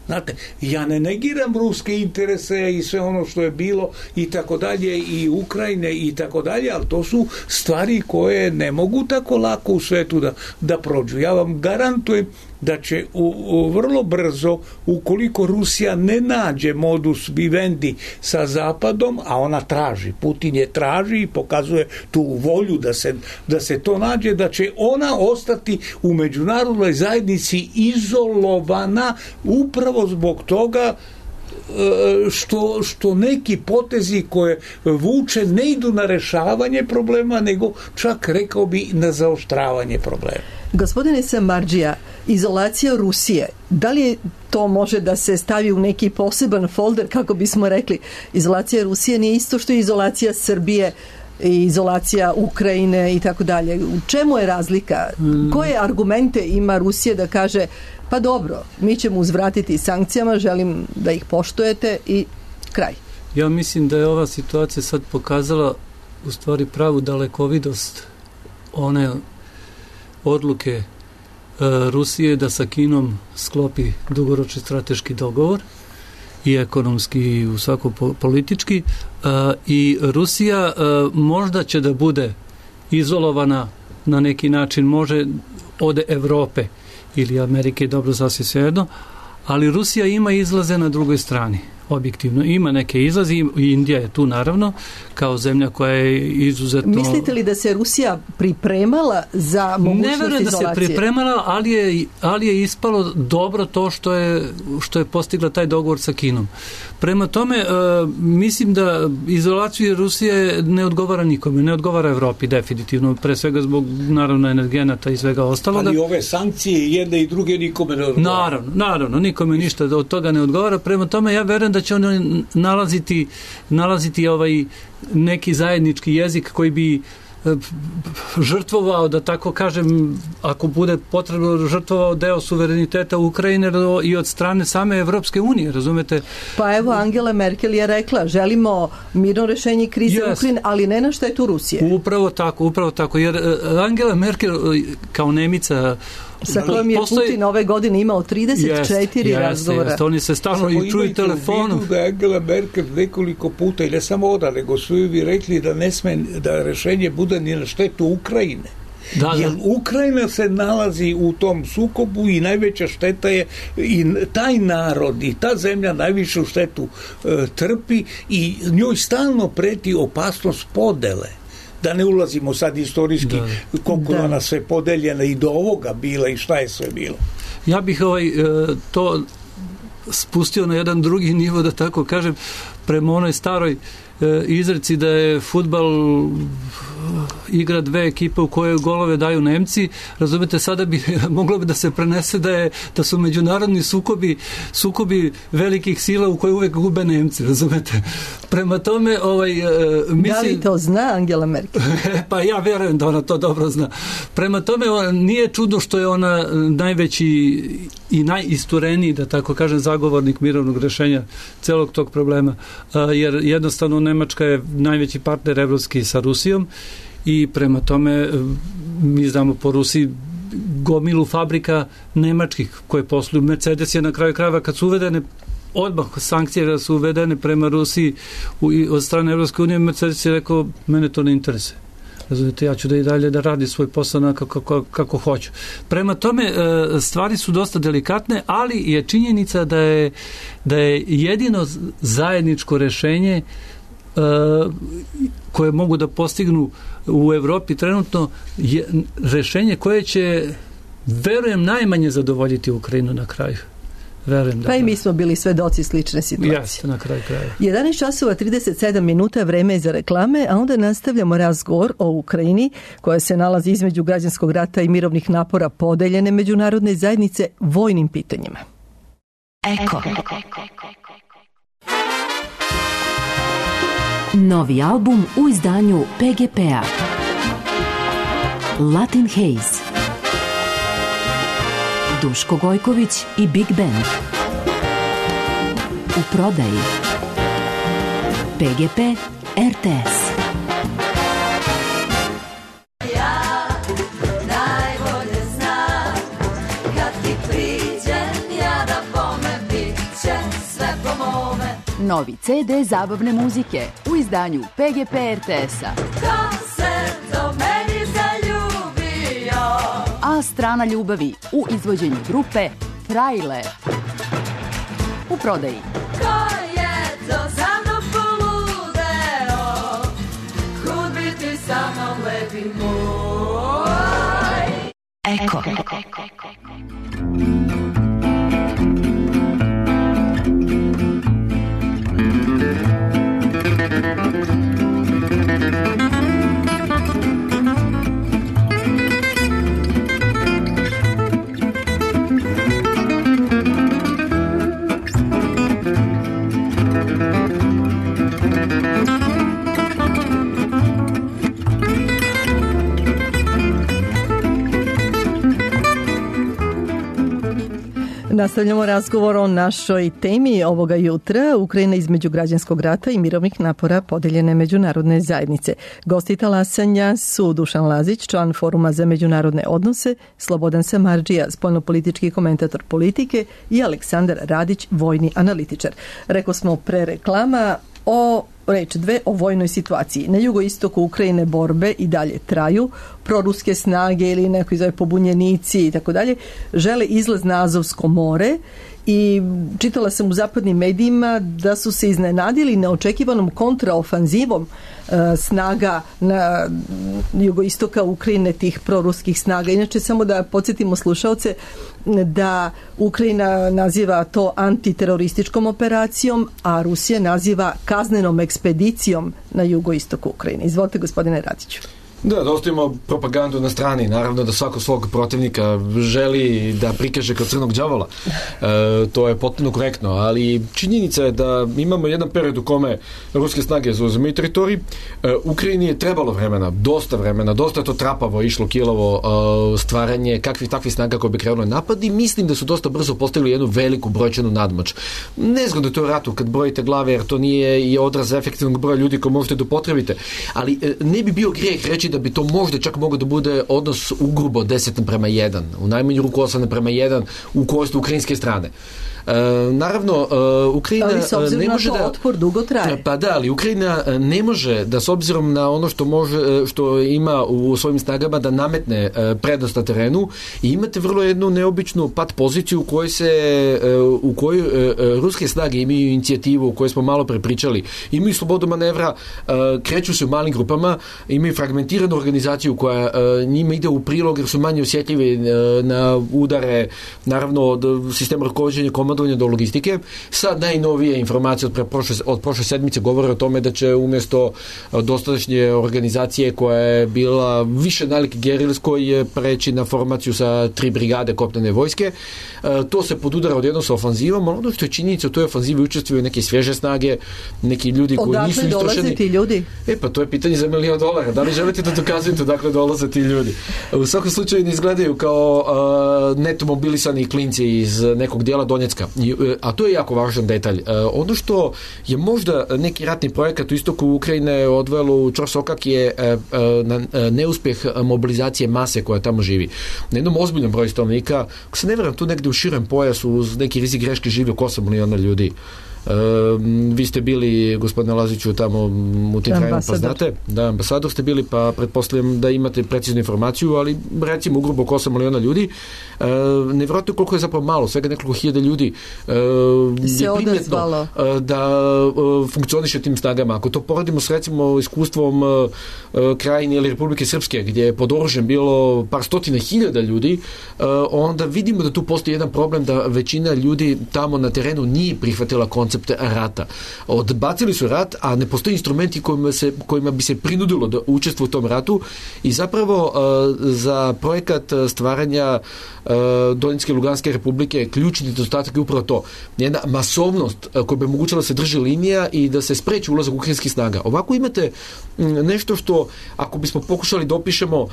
Znate, ja ne negiram ruske interese i sve ono što je bilo i tako dalje i Ukrajine i tako dalje, ali to su stvari koje ne mogu tako lako u svetu da, da prođu. Ja vam garantujem da će u, u, vrlo brzo, ukoliko Rusija ne nađe modus vivendi sa Zapadom, a ona traži, Putin je traži i pokazuje tu volju da se, da se to nađe, da će ona ostati u međunarodnoj zajednici izolovana upravo zbog toga što, što neki potezi koje vuče ne idu na rešavanje problema, nego čak rekao bi na zaoštravanje problema. Gospodine Samardžija, izolacija Rusije, da li to može da se stavi u neki poseban folder, kako bismo rekli, izolacija Rusije nije isto što je izolacija Srbije i izolacija Ukrajine i tako dalje. U čemu je razlika? Koje argumente ima Rusija da kaže pa dobro, mi ćemo uzvratiti sankcijama, želim da ih poštujete i kraj? Ja mislim da je ova situacija sad pokazala u stvari pravu dalekovidost one odluke e, Rusije da sa Kinom sklopi dugoročni strateški dogovor i ekonomski i u svako politički e, i Rusija e, možda će da bude izolovana na neki način, može od Evrope ili Amerike, dobro, sasvim svejedno, ali Rusija ima izlaze na drugoj strani. Objektivno ima neke izlaze i Indija je tu naravno kao zemlja koja je izuzetno... Mislite li da se Rusija pripremala za mogućnost izolacije? Ne verujem da se pripremala, ali je, ali je ispalo dobro to što je, što je postigla taj dogovor sa Kinom. Prema tome, uh, mislim da izolaciju Rusije ne odgovara nikome, ne odgovara Evropi definitivno, pre svega zbog naravno energenata i svega ostaloga. Ali ove sankcije jedne i druge nikome ne odgovara. Naravno, naravno, nikome ništa od toga ne odgovara. Prema tome, ja verujem da će oni nalaziti, nalaziti ovaj neki zajednički jezik koji bi žrtvovao, da tako kažem, ako bude potrebno, žrtvovao deo suvereniteta Ukrajine i od strane same Evropske unije, razumete? Pa evo, Angela Merkel je rekla, želimo mirno rešenje krize yes. Ukrajine, ali ne na štetu Rusije. Upravo tako, upravo tako, jer Angela Merkel kao Nemica sa kojom je postoji... Putin ove godine imao trideset četiri jest, razgovora. Jest, oni se stalno i čuju telefonom. Da je Angela Merkel nekoliko puta, i ne samo oda, nego su vi rekli da ne sme, da rešenje bude ni na štetu Ukrajine. Da, jer Ukrajina se nalazi u tom sukobu i najveća šteta je i taj narod i ta zemlja najvišu štetu e, trpi i njoj stalno preti opasnost podele. Da ne ulazimo sad istorijski da. koliko da. Ona sve podeljena i do ovoga bila i šta je sve bilo. Ja bih ovaj, to spustio na jedan drugi nivo, da tako kažem, prema onoj staroj izreci da je fudbal igra dve ekipe u kojoj golove daju Nemci, razumete, sada bi moglo bi da se prenese da je da su međunarodni sukobi sukobi velikih sila u kojoj uvek gube Nemci, razumete. Prema tome, ovaj mislim, da li to zna Angela Merkel? Pa ja verujem da ona to dobro zna. Prema tome, nije čudno što je ona najveći i najistureniji, da tako kažem, zagovornik mirovnog rešenja celog tog problema, jer jednostavno Nemačka je najveći partner evropski sa Rusijom i prema tome mi znamo po Rusiji gomilu fabrika nemačkih koje posluju. Mercedes je na kraju krajeva kad su uvedene odmah sankcije su uvedene prema Rusiji od strane Evropske unije, Mercedes je rekao mene to ne interesuje. Razumite, ja ću da i dalje da radi svoj posao kako, kako, kako hoću. Prema tome, stvari su dosta delikatne, ali je činjenica da je, da je jedino zajedničko rešenje koje mogu da postignu u Evropi trenutno je rešenje koje će, verujem, najmanje zadovoljiti Ukrajinu na kraju. Verujem da. Pa i mi smo bili svedoci slične situacije. Jeste, na kraju kraja. jedanaest časova trideset sedam minuta, vreme je za reklame, a onda nastavljamo razgovor o Ukrajini, koja se nalazi između građanskog rata i mirovnih napora podeljene međunarodne zajednice vojnim pitanjima. Eko. Novi album u izdanju P G P-a. Latin Haze. Duško Gojković i Big Band. U prodaji. P G P R T S. Ja najbolje znam kad ti priđem ja da bome bit će sve po mome. Novi C D zabavne muzike u izdanju P G P R T S-a. Ko se do meni zaljubio? A strana ljubavi u izvođenju grupe Frajle. U prodaji. Ko je to za mnom poludeo? Kud biti sa mnom lepi moj? Eko. Nastavljamo razgovor o našoj temi ovoga jutra. Ukrajina između građanskog rata i mirovnih napora podeljene međunarodne zajednice. Gosti talasanja su Dušan Lazić, član Foruma za međunarodne odnose, Slobodan Samardžija, spoljnopolitički komentator politike i Aleksandar Radić, vojni analitičar. Rekao smo pre reklama o reč dve o vojnoj situaciji. Na jugoistoku Ukrajine borbe i dalje traju. Proruske snage ili neko zove pobunjenici i tako dalje žele izlaz na Azovsko more i čitala sam u zapadnim medijima da su se iznenadili neočekivanom kontraofanzivom e, snaga na jugoistoka Ukrajine, tih proruskih snaga. Inače, samo da podsjetimo slušaoce da Ukrajina naziva to antiterorističkom operacijom, a Rusija naziva kaznenom ekspedicijom na jugoistoku Ukrajine. Izvolite, gospodine Radiću. Da, da ostavimo propagandu na strani. Naravno da svako svog protivnika želi da prikaže kao crnog đavola. E, to je potpuno korektno, ali činjenica je da imamo jedan period u kome ruske snage zauzimaju teritorij. E, Ukrajini je trebalo vremena, dosta vremena, dosta je to trapavo išlo, kilavo e, stvaranje kakvih takvih snaga koje bi krenuli napad i mislim da su dosta brzo postavili jednu veliku brojčanu nadmoć. Nezgodno je to u ratu kad brojite glave, jer to nije i odraz efektivnog broja ljudi koje možete da upotrebite, ali e, ne bi bio grijeh reći da bi to možda čak moglo da bude odnos ugrubo deset naprema jedan, u najmanju ruku osam naprema jedan u korist ukrajinske strane. E, naravno, e, Ukrajina ne može da otpor dugo traje. Pa da, ali Ukrajina ne može da s obzirom na ono što može, što ima u svojim snagama da nametne prednost na terenu i imate vrlo jednu neobičnu pat poziciju u kojoj se u kojoj ruske snage imaju inicijativu u kojoj smo malo prepričali, imaju slobodu manevra, kreću se u malim grupama, imaju fragmentiranu organizaciju koja njima ide u prilog jer su manje osjetljivi na udare, naravno od sistema rukovođenja, komandovanja do logistike. Sad najnovije informacije od, prošle, od prošle sedmice govore o tome da će umjesto dosadašnje organizacije koja je bila više nalik gerilskoj preći na formaciju sa tri brigade kopnene vojske. To se podudara odjednom sa ofanzivom, ali ono što je činjenica u toj ofanzivi učestvuju neke svježe snage, neki ljudi koji odakle nisu istrošeni. Odakle dolaze ti ljudi? E pa to je pitanje za milion dolara. Da li želite da dokazujete odakle dolaze ti ljudi? U svakom slučaju ne izgledaju kao uh, neto mobilisani klinci iz nekog dijela Donjecka. A to je jako važan detalj. Uh, ono što je možda neki ratni projekat u istoku Ukrajine odvelo u čorsokak je uh, na, uh, neuspjeh mobilizacije mase koja tamo živi. Na jednom ozbiljnom broju stanovnika, ako se ne vjerujem, tu negdje u širem pojasu uz neki rizik greške živi oko osam miliona ljudi. Uh, vi ste bili, gospodine Laziću, tamo u tim krajima, pa znate, da, ambasador ste bili, pa pretpostavljam da imate preciznu informaciju, ali recimo u grubo oko osam miliona ljudi. Uh, nevjerojatno koliko je zapravo malo, svega nekoliko hiljada ljudi uh, je primjetno uh, da uh, funkcioniše tim snagama. Ako to poredimo s recimo iskustvom uh, uh, Krajine ili Republike Srpske, gdje je pod oružjem bilo par stotina hiljada ljudi, uh, onda vidimo da tu postoji jedan problem da većina ljudi tamo na terenu nije prihvatila koncept rata. Odbacili su rat, a ne postoji instrumenti kojima, se, kojima bi se prinudilo da učestvuje u tom ratu i zapravo uh, za projekat stvaranja uh, Donjecke i Luganske republike ključni nedostatak je upravo to. Jedna masovnost uh, koja bi omogućila da se drži linija i da se spreči ulazak ukrajinskih snaga. Ovako imate m, nešto što, ako bismo pokušali da opišemo uh,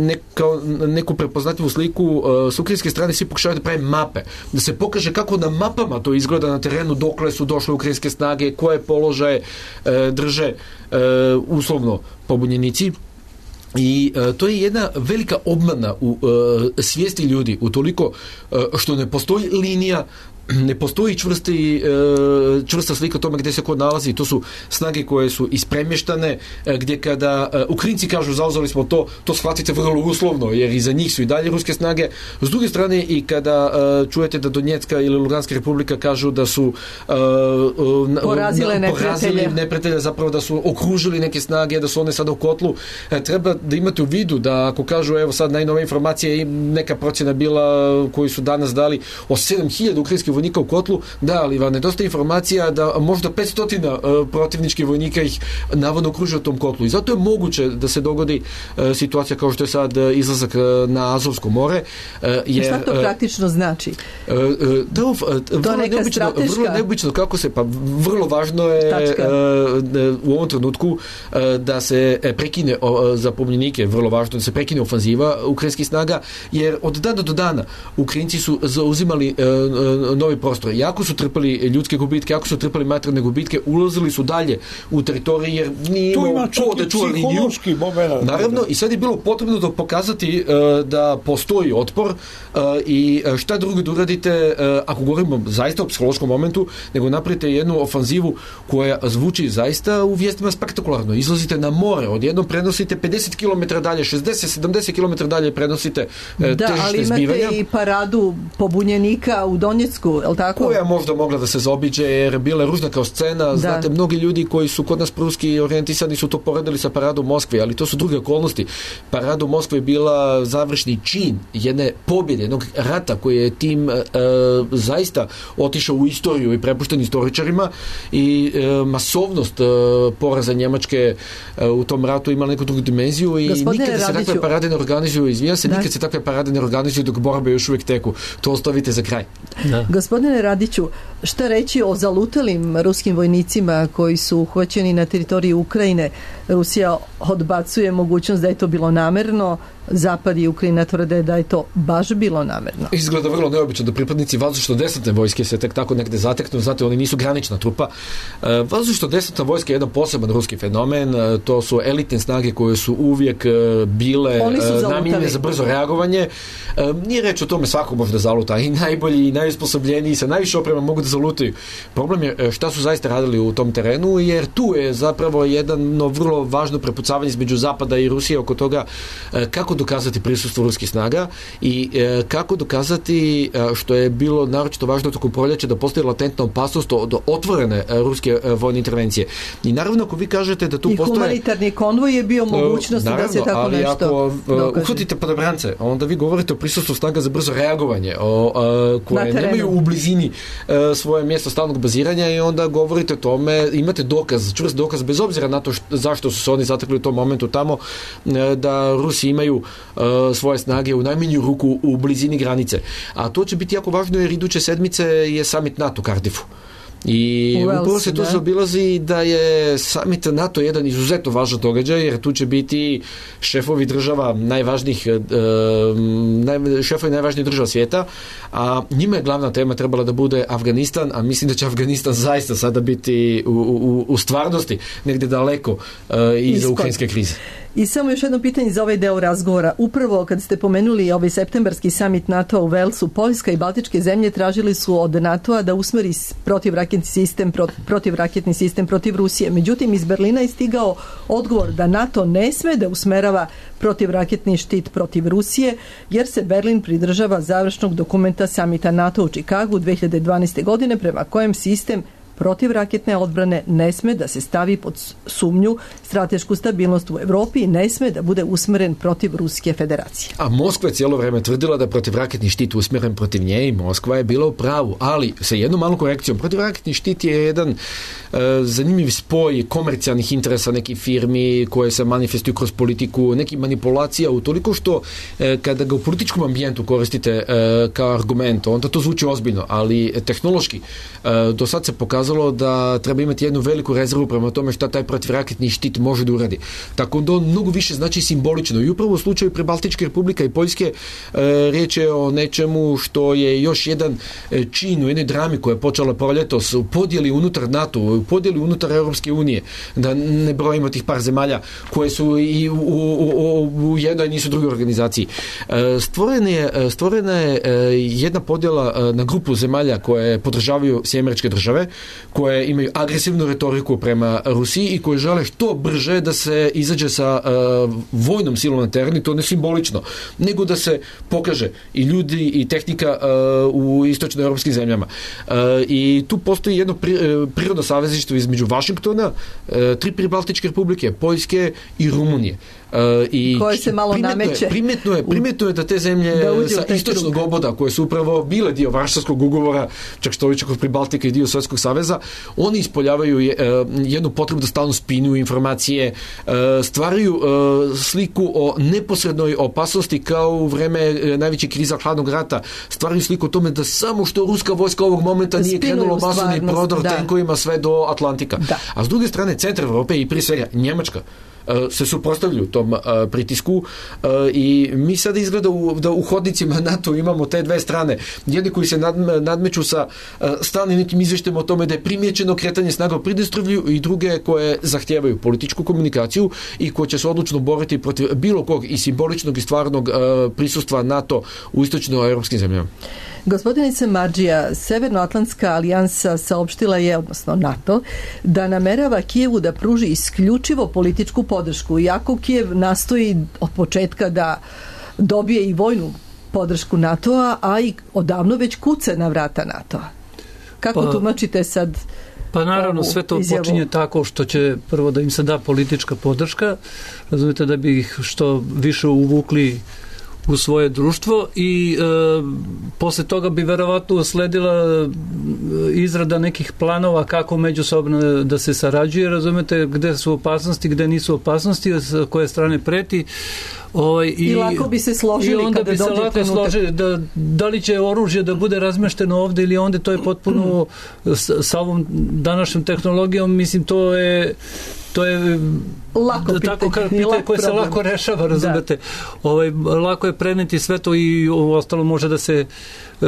neka, neku prepoznatljivu sliku, uh, s ukrajinske strane svi pokušavaju da prave mape, da se pokaže kako na mapama to izgleda na terenu, dokle su došle ukrajinske snage, koje položaje e, drže e, uslovno pobunjenici. I e, to je jedna velika obmana u e, svijesti ljudi, utoliko e, što ne postoji linija, ne postoji čvrsti, čvrsta slika o tome gdje se ko nalazi. To su snage koje su ispremještane, gdje kada Ukrajinci kažu zauzeli smo to, to shvatite vrlo uslovno, jer iza njih su i dalje ruske snage. S druge strane, i kada čujete da Donjecka ili Luganska republika kažu da su porazile neprijatelje, neprijatelje, zapravo da su okružili neke snage, da su one sada u kotlu, treba da imate u vidu da ako kažu, evo sad najnove informacije, neka procjena bila koju su danas dali o sedam hiljada ukrajinskih vojnika u kotlu, da, ali vam nedostaje informacija da možda petsto uh, protivničkih vojnika ih navodno okružuje u tom kotlu. I zato je moguće da se dogodi uh, situacija kao što je sad uh, izlazak uh, na Azovsko more. Uh, je, šta to praktično znači? Uh, uh, da, uh, vrlo, neobično, vrlo neobično kako se, pa vrlo važno je uh, u ovom trenutku uh, da se prekine uh, za pobunjenike, vrlo važno da se prekine ofanziva ukrajinskih snaga, jer od dana do dana Ukrajinci su zauzimali uh, novi prostor. Jako su trpali ljudske gubitke, jako su trpali materijalne gubitke, ulazili su dalje u teritoriji jer nije imao ko da čuva liniju. Naravno, i sad je bilo potrebno da pokazati uh, da postoji otpor uh, i šta drugo da uradite uh, ako govorimo zaista o psihološkom momentu, nego napravite jednu ofanzivu koja zvuči zaista u vijestima spektakularno. Izlazite na more, odjednom prenosite pedeset kilometara dalje, šezdeset sedamdeset kilometara dalje prenosite uh, da, težište zbivanja. Da, ali imate i paradu pobunjenika u Donjecku, je li tako? Koja možda mogla da se zaobiđe jer bila je ružna kao scena. Da. Znate, mnogi ljudi koji su kod nas pruski orijentisani su to poredili sa paradom Moskve, ali to su druge okolnosti. Parada u Moskvi je bila završni čin jedne pobjede, jednog rata koji je tim e, zaista otišao u istoriju i prepušten istoričarima i e, masovnost e, poraza Njemačke e, u tom ratu imala neku drugu dimenziju i Gospodine nikad se Radiću, takve parade ne organizuju, izvijam se, da. nikad se takve parade ne organizuju dok borbe još uvijek teku. To ostavite za kraj. Da. Gospodine Radiću, šta reći o zalutalim ruskim vojnicima koji su uhvaćeni na teritoriji Ukrajine? Rusija odbacuje mogućnost da je to bilo namerno, Zapad i Ukrajina tvrde da je to baš bilo namerno. Izgleda vrlo neobično da pripadnici vazdušno-desantne vojske se tek tako negde zateknu, znate, oni nisu granična trupa. E, vazdušno-desantna vojska je jedan poseban ruski fenomen, e, to su elitne snage koje su uvijek e, bile e, namijenjene za brzo reagovanje. E, nije reč o tome, svako može da zaluta, i najbolji i najsposobljeniji sa najviše oprema mogu da zalutaju. Problem je šta su zaista radili u tom terenu, jer tu je zapravo jedno vrlo važno prepucavanje između Zapada i Rusije oko toga e, kako dokazati prisustvo ruskih snaga i e, kako dokazati e, što je bilo naročito važno tokom proljeća da postoji latentna opasnost od otvorene e, ruske e, vojne intervencije. I naravno ako vi kažete da tu I postoje... I humanitarni konvoj je bio mogućnost da se tako ali nešto ako dokaže. uhvatite padobrance, onda vi govorite o prisustvu snaga za brzo reagovanje, o, a, koje Na nemaju u blizini a, svoje mjesto stalnog baziranja i onda govorite o tome, imate dokaz, čvrst dokaz, bez obzira na to što, zašto su se oni zatekli u tom momentu tamo, a, da Rusi imaju Uh, svoje snage u najmanju ruku u blizini granice. A to će biti jako važno jer iduće sedmice je summit NATO u Cardiffu. I upravo se tu zaobilazi da je summit NATO jedan izuzetno važan događaj jer tu će biti šefovi država najvažnijih e, naj, šefovi najvažnijih država svijeta, a njima je glavna tema trebala da bude Afganistan, a mislim da će Afganistan zaista sada biti u, u, u stvarnosti negdje daleko e, iza ukrajinske krize. I samo još jedno pitanje za ovaj deo razgovora. Upravo kad ste pomenuli ovaj septembarski summit NATO u Velsu, Poljska i Baltičke zemlje tražili su od NATO-a da usmeri protivraketni sistem, protivraketni sistem protiv Rusije. Međutim, iz Berlina je stigao odgovor da NATO ne sme da usmerava protivraketni štit protiv Rusije, jer se Berlin pridržava završnog dokumenta samita NATO u Čikagu dve hiljade dvanaeste. godine, prema kojem sistem protivraketne odbrane ne sme da se stavi pod sumnju stratešku stabilnost u Evropi i ne sme da bude usmeren protiv Ruske federacije. A Moskva je cijelo vreme tvrdila da je protivraketni štit usmeren protiv nje i Moskva je bila u pravu, ali sa jednom malom korekcijom. Protivraketni štit je jedan e, zanimljiv spoj komercijalnih interesa nekih firmi koje se manifestuju kroz politiku, nekih manipulacija u toliko što e, kada ga u političkom ambijentu koristite e, kao argument, onda to zvuči ozbiljno, ali tehnološki e, do sad se pokazalo da treba imati jednu veliku rezervu prema tome šta taj protivraketni štit može da uradi. Tako da on mnogo više znači simbolično. I upravo u slučaju Prebaltičke republika i Poljske e, riječ je o nečemu što je još jedan čin u jednoj drami koja je počela proljetos u podjeli unutar NATO, u podjeli unutar Europske unije, da ne brojimo tih par zemalja koje su i u, u, u, u jednoj nisu drugoj organizaciji. E, stvorena je, stvorena je jedna podjela na grupu zemalja koje podržavaju Sjedinjene Američke Države, koje imaju agresivnu retoriku prema Rusiji i koje žele što brže da se izađe sa uh, vojnom silom na teren, i to ne simbolično, nego da se pokaže i ljudi i tehnika uh, u istočnoevropskim zemljama. Uh, I tu postoji jedno pri, uh, prirodno savezništvo između Vašingtona, uh, tri pribaltičke republike, Poljske i Rumunije. Uh, i koje se malo primetno nameće. Je, primetno, je, primetno je da te zemlje da sa istočnog oboda, koje su upravo bile dio Varšavskog ugovora, čak što više kod Pribaltika i dio Sovjetskog saveza, oni ispoljavaju je, uh, jednu potrebu da stalno spinju informacije, uh, stvaraju uh, sliku o neposrednoj opasnosti kao u vreme uh, najveće kriza hladnog rata, stvaraju sliku o tome da samo što ruska vojska ovog momenta nije krenula masovni prodor da. tenkovima sve do Atlantika. Da. A s druge strane, centar Evrope i prije svega Njemačka se suprotstavljaju tom uh, pritisku uh, i mi sada izgleda u, da u hodnicima NATO imamo te dve strane. Jedni koji se nad, nadmeću sa uh, stalnim nekim izveštajem o tome da je primjećeno kretanje snaga u Pridnjestrovlju, i druge koje zahtijevaju političku komunikaciju i koje će se odlučno boriti protiv bilo kog i simboličnog i stvarnog uh, prisustva NATO u istočnoevropskim zemljama. Gospodinice Marđija, Severnoatlantska alijansa saopštila je, odnosno NATO, da namerava Kijevu da pruži isključivo političku podršku, iako Kijev nastoji od početka da dobije i vojnu podršku NATO-a, a i odavno već kuca na vrata NATO-a. Kako pa, tumačite sad? Pa naravno, sve to izjavu? Počinje tako što će prvo da im se da politička podrška, razumijete, da bi ih što više uvukli u svoje društvo, i e, posle toga bi verovatno usledila izrada nekih planova kako međusobno da se sarađuje, razumete, gde su opasnosti, gde nisu opasnosti, s koje strane preti. Ovaj, i, I lako bi se složili i onda kada bi se dođe lako trenutak. složili da, da li će oružje da bude razmešteno ovde ili onda, to je potpuno s, sa ovom današnjom tehnologijom, mislim, to je to je lako da, tako pitanje, pitanje koje se lako rešava, razumete. Ovaj, lako je preneti sve to, i ostalo može da se uh,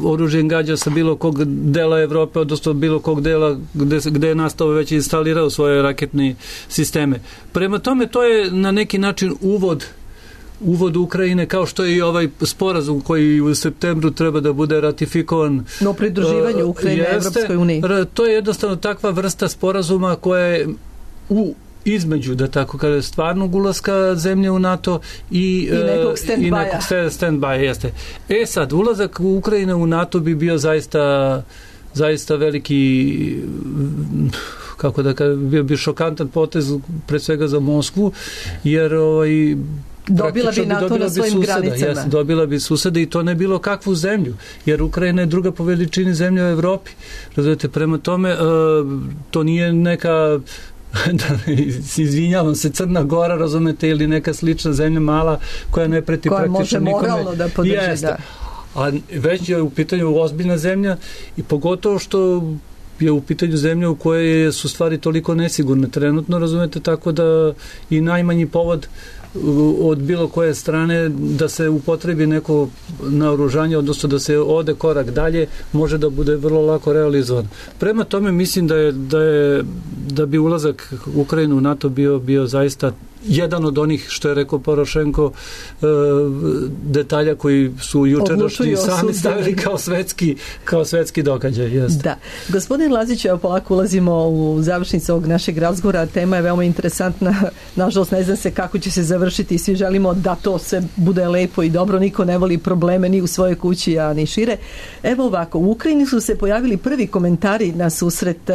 oružje gađa sa bilo kog dela Evrope, odnosno bilo kog dela gde, gde je nastao već instalirao svoje raketne sisteme. Prema tome, to je na neki način uvod uvod Ukrajine, kao što je i ovaj sporazum koji u septembru treba da bude ratifikovan. No, pridruživanje Ukrajine Evropskoj uniji. To je jednostavno takva vrsta sporazuma koja je u između, da tako kaže, stvarnog ulaska zemlje u NATO i, I nekog stand-by. I nekog stand-by, jeste. E sad, ulazak Ukrajine u NATO bi bio zaista zaista veliki, kako da kažem, bio bi šokantan potez pre svega za Moskvu, jer ovaj dobila bi NATO dobila na svojim suseda, granicama. Jes, dobila bi susede, i to ne bilo kakvu zemlju, jer Ukrajina je druga po veličini zemlja u Evropi. Razumete, prema tome, to nije neka izvinjavam se, Crna Gora, razumete, ili neka slična zemlja mala koja ne preti koja praktično nikome. Koja može moralno da podrži, Jeste. da. A već je u pitanju ozbiljna zemlja, i pogotovo što je u pitanju zemlja u kojoj su stvari toliko nesigurne trenutno, razumete, tako da i najmanji povod od bilo koje strane da se upotrebi neko naoružanje, odnosno da se ode korak dalje, može da bude vrlo lako realizovan. Prema tome, mislim da je da, je, da bi ulazak Ukrajine u NATO bio, bio zaista jedan od onih, što je rekao Porošenko, e, detalja koji su jučerašnji sami stavili kao svetski, kao svetski događaj. Jeste. Da. Gospodin Lazić, evo polako ulazimo u završnicu ovog našeg razgovora. Tema je veoma interesantna. Nažalost, ne znam se kako će se završiti. Svi želimo da to sve bude lepo i dobro. Niko ne voli probleme ni u svojoj kući, a ni šire. Evo ovako, u Ukrajini su se pojavili prvi komentari na susret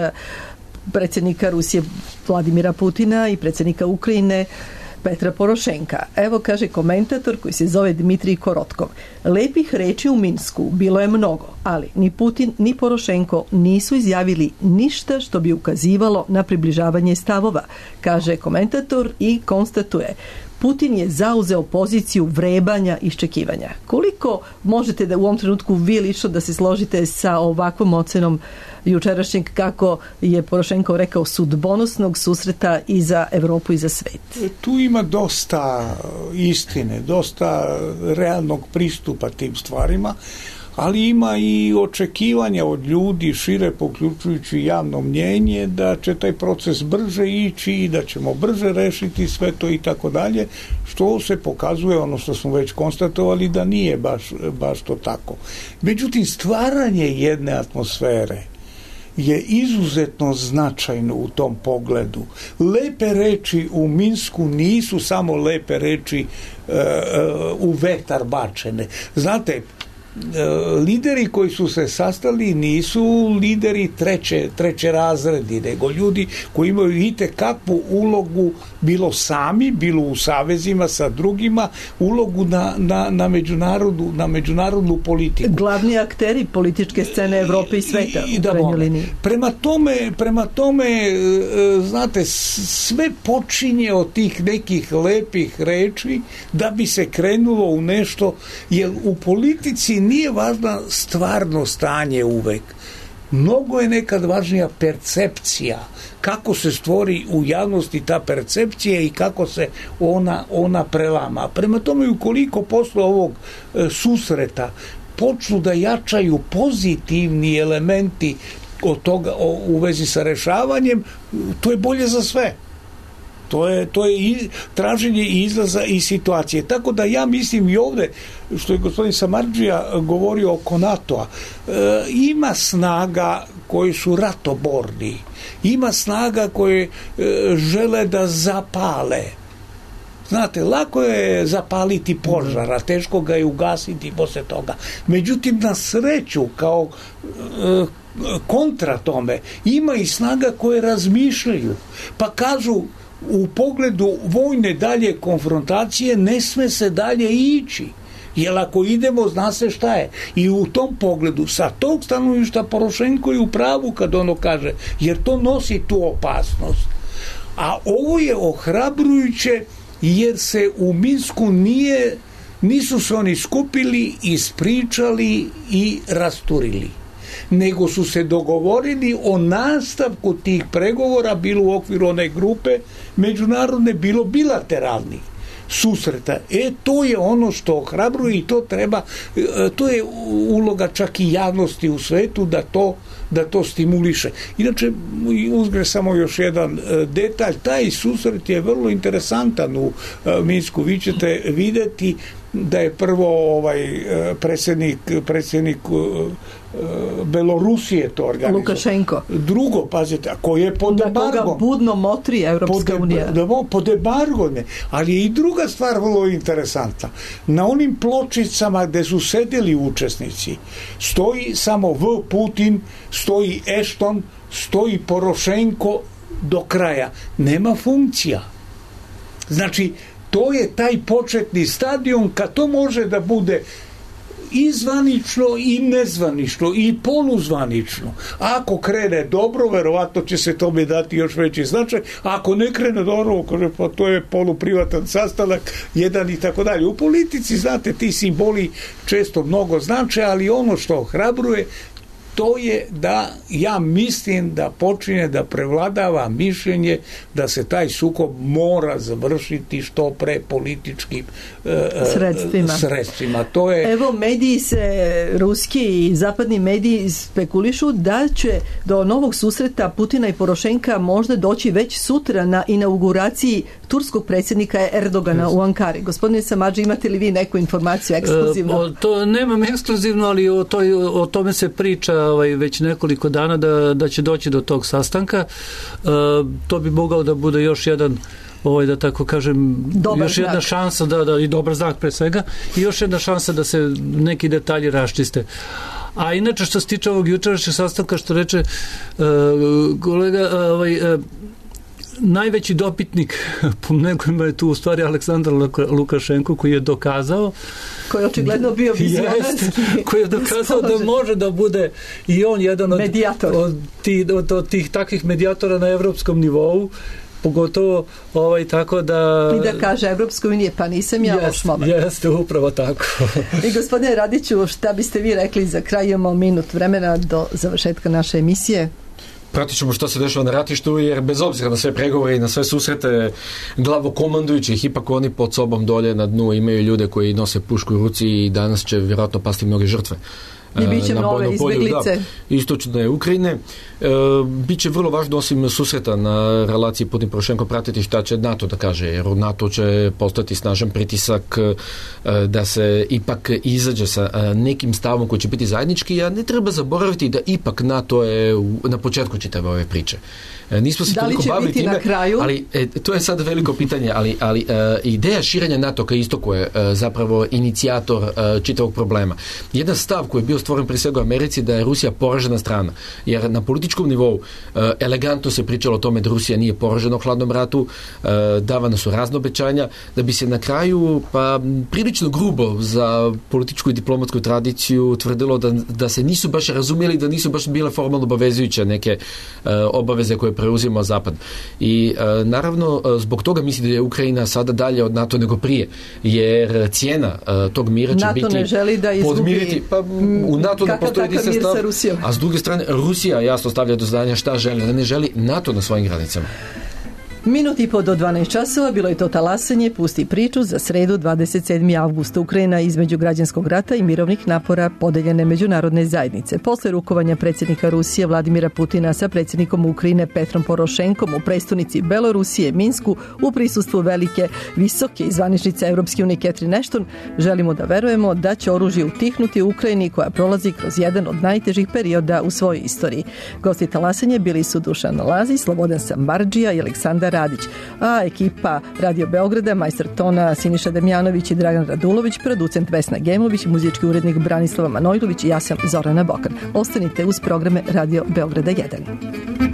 predsjednika Rusije Vladimira Putina i predsjednika Ukrajine Petra Porošenka. Evo kaže komentator koji se zove Dmitrij Korotkov. Lepih reči u Minsku bilo je mnogo, ali ni Putin ni Porošenko nisu izjavili ništa što bi ukazivalo na približavanje stavova, kaže komentator i konstatuje: Putin je zauzeo poziciju vrebanja i iščekivanja. Koliko možete da u ovom trenutku vi lično da se složite sa ovakvom ocenom jučerašnjeg, kako je Porošenko rekao, sudbonosnog susreta i za Evropu i za svet? Tu ima dosta istine, dosta realnog pristupa tim stvarima, ali ima i očekivanja od ljudi šire, poključujući javno mnjenje, da će taj proces brže ići i da ćemo brže rešiti sve to i tako dalje, što se pokazuje, ono što smo već konstatovali, da nije baš, baš to tako. Međutim, stvaranje jedne atmosfere je izuzetno značajno u tom pogledu. Lepe reči u Minsku nisu samo lepe reči uh, uh, u vetar bačene. Znate, lideri koji su se sastali nisu lideri treće, treće razredi, nego ljudi koji imaju itekakvu ulogu, bilo sami, bilo u savezima sa drugima, ulogu na, na, na, međunarodnu, na međunarodnu politiku. Glavni akteri političke scene Evrope i sveta I, i, u krajnjoj liniji. Prema tome, prema tome, znate, sve počinje od tih nekih lepih reči da bi se krenulo u nešto, jer u politici nije važno stvarno stanje uvek. Mnogo je nekad važnija percepcija, kako se stvori u javnosti ta percepcija i kako se ona, ona prelama. Prema tome, ukoliko posle ovog e, susreta počnu da jačaju pozitivni elementi od toga, o, u vezi sa rešavanjem, to je bolje za sve. To je, to je i traženje izlaza iz situacije. Tako da ja mislim i ovde, što je gospodin Samardžija govorio oko NATO-a, e, ima snaga koji su ratoborni, ima snaga koje e, žele da zapale. Znate, lako je zapaliti požar, a teško ga je ugasiti posle toga. Međutim, na sreću, kao e, kontra tome, ima i snaga koje razmišljaju. Pa kažu, u pogledu vojne dalje konfrontacije ne sme se dalje ići, jer ako idemo zna se šta je. I u tom pogledu sa tog stanovišta Porošenko je u pravu kad ono kaže, jer to nosi tu opasnost. A ovo je ohrabrujuće jer se u Minsku nije, nisu se oni skupili, ispričali i rasturili, nego su se dogovorili o nastavku tih pregovora, bilo u okviru one grupe međunarodne, bilo bilateralnih susreta. E, to je ono što ohrabruje i to treba, to je uloga čak i javnosti u svetu da to, da to stimuliše. Inače, uzgre samo još jedan detalj, taj susret je vrlo interesantan u Minsku. Vi ćete videti da je prvo ovaj predsjednik predsjednik Belorusije to organizovao. Lukašenko. Drugo, pazite, koji je pod embargom. Da koga budno motri Evropska pod, unija. Da, pod embargom. Ali je i druga stvar vrlo interesantna. Na onim pločicama gde su sedeli učesnici stoji samo V. Putin, stoji Ešton, stoji Porošenko do kraja. Nema funkcija. Znači, to je taj početni stadion kad to može da bude i zvanično i nezvanično i poluzvanično. Ako krene dobro, verovatno će se tome dati još veći značaj. Ako ne krene dobro, pa to je poluprivatan sastanak, jedan i tako dalje. U politici, znate, ti simboli često mnogo znače, ali ono što ohrabruje, to je da ja mislim da počinje da prevladava mišljenje da se taj sukob mora završiti što pre političkim e, sredstvima. sredstvima. To je... Evo, mediji se, ruski i zapadni mediji spekulišu da će do novog susreta Putina i Porošenka možda doći već sutra na inauguraciji turskog predsjednika Erdogana u Ankari. Gospodine Samardži, imate li vi neku informaciju ekskluzivno? E, to nemam ekskluzivno, ali o, toj, o tome se priča ovaj, već nekoliko dana da, da će doći do tog sastanka. E, to bi mogao da bude još jedan ovaj, da tako kažem, dobar još jedna znak. šansa da, da, i dobar znak pre svega, i još jedna šansa da se neki detalji raščiste. A inače, što se tiče ovog jučerašnjeg sastanka, što reče uh, kolega, uh, ovaj, uh, najveći dopitnik po nekojima je tu u stvari Aleksandar Lukašenko, koji je dokazao, koji je očigledno bio vizionarski, koji je dokazao da može da bude i on jedan od, medijator. od, tih, od, od tih takvih medijatora na evropskom nivou, pogotovo ovaj, tako da... I da kaže Evropskoj unije, pa nisam ja loš momak. Jeste, upravo tako. I gospodine Radiću, šta biste vi rekli za kraj? Imamo minut vremena do završetka naše emisije. Pratit ćemo što se dešava na ratištu, jer bez obzira na sve pregovore i na sve susrete glavokomandujućih, ipak oni pod sobom dolje na dnu imaju ljude koji nose pušku u ruci i danas će vjerojatno pasti mnoge žrtve I bit će na nove bojnom polju, izbeglice. Da, istočne Ukrajine. E, Biće vrlo važno osim susreta na relaciji Putin-Porošenko pratiti šta će NATO da kaže, jer NATO će postati snažan pritisak e, da se ipak izađe sa e, nekim stavom koji će biti zajednički, a ne treba zaboraviti da ipak NATO je u, na početku čitave ove priče. E, nismo se da li toliko će bavili biti time, na kraju? ali e, to je sad veliko pitanje, ali, ali e, ideja širenja NATO ka istoku je e, zapravo inicijator e, čitavog problema. Jedan stav koji je bio stvoren prije svega u Americi da je Rusija poražena strana, jer na političkom nivou e, elegantno se pričalo o tome da Rusija nije poražena u hladnom ratu, e, davana su razna obećanja, da bi se na kraju pa prilično grubo za političku i diplomatsku tradiciju tvrdilo da, da se nisu baš razumjeli, da nisu baš bile formalno obavezujuće neke e, obaveze koje preuzima Zapad. I e, naravno zbog toga mislim da je Ukrajina sada dalje od NATO nego prije, jer cijena e, tog mira će NATO biti ne želi da izgubi podmiriti, pa u NATO ne postoji mir stav, sa Rusijom. a s druge strane Rusija jasno stavlja do znanja šta želi, da ne želi NATO na svojim granicama. Minut i po do dvanaest časova bilo je to talasanje Pusti priču za sredu dvadeset sedmog avgusta. Ukrajina između građanskog rata i mirovnih napora podeljene međunarodne zajednice. Posle rukovanja predsjednika Rusije Vladimira Putina sa predsjednikom Ukrajine Petrom Porošenkom u prestonici Belorusije Minsku u prisustvu velike, visoke i zvaničnice Evropske unije Catherine Ashton, želimo da verujemo da će oružje utihnuti u Ukrajini koja prolazi kroz jedan od najtežih perioda u svojoj istoriji. Gosti talasanje bili su Dušan Lazić, Slobodan Samardžija i Aleksandar Radić, a ekipa Radio Beograda, majstor tona Siniša Damjanović i Dragan Radulović, producent Vesna Gemović, muzički urednik Branislava Manojlović i ja sam Zorana Bokan. Ostanite uz programe Radio Beograda jedan.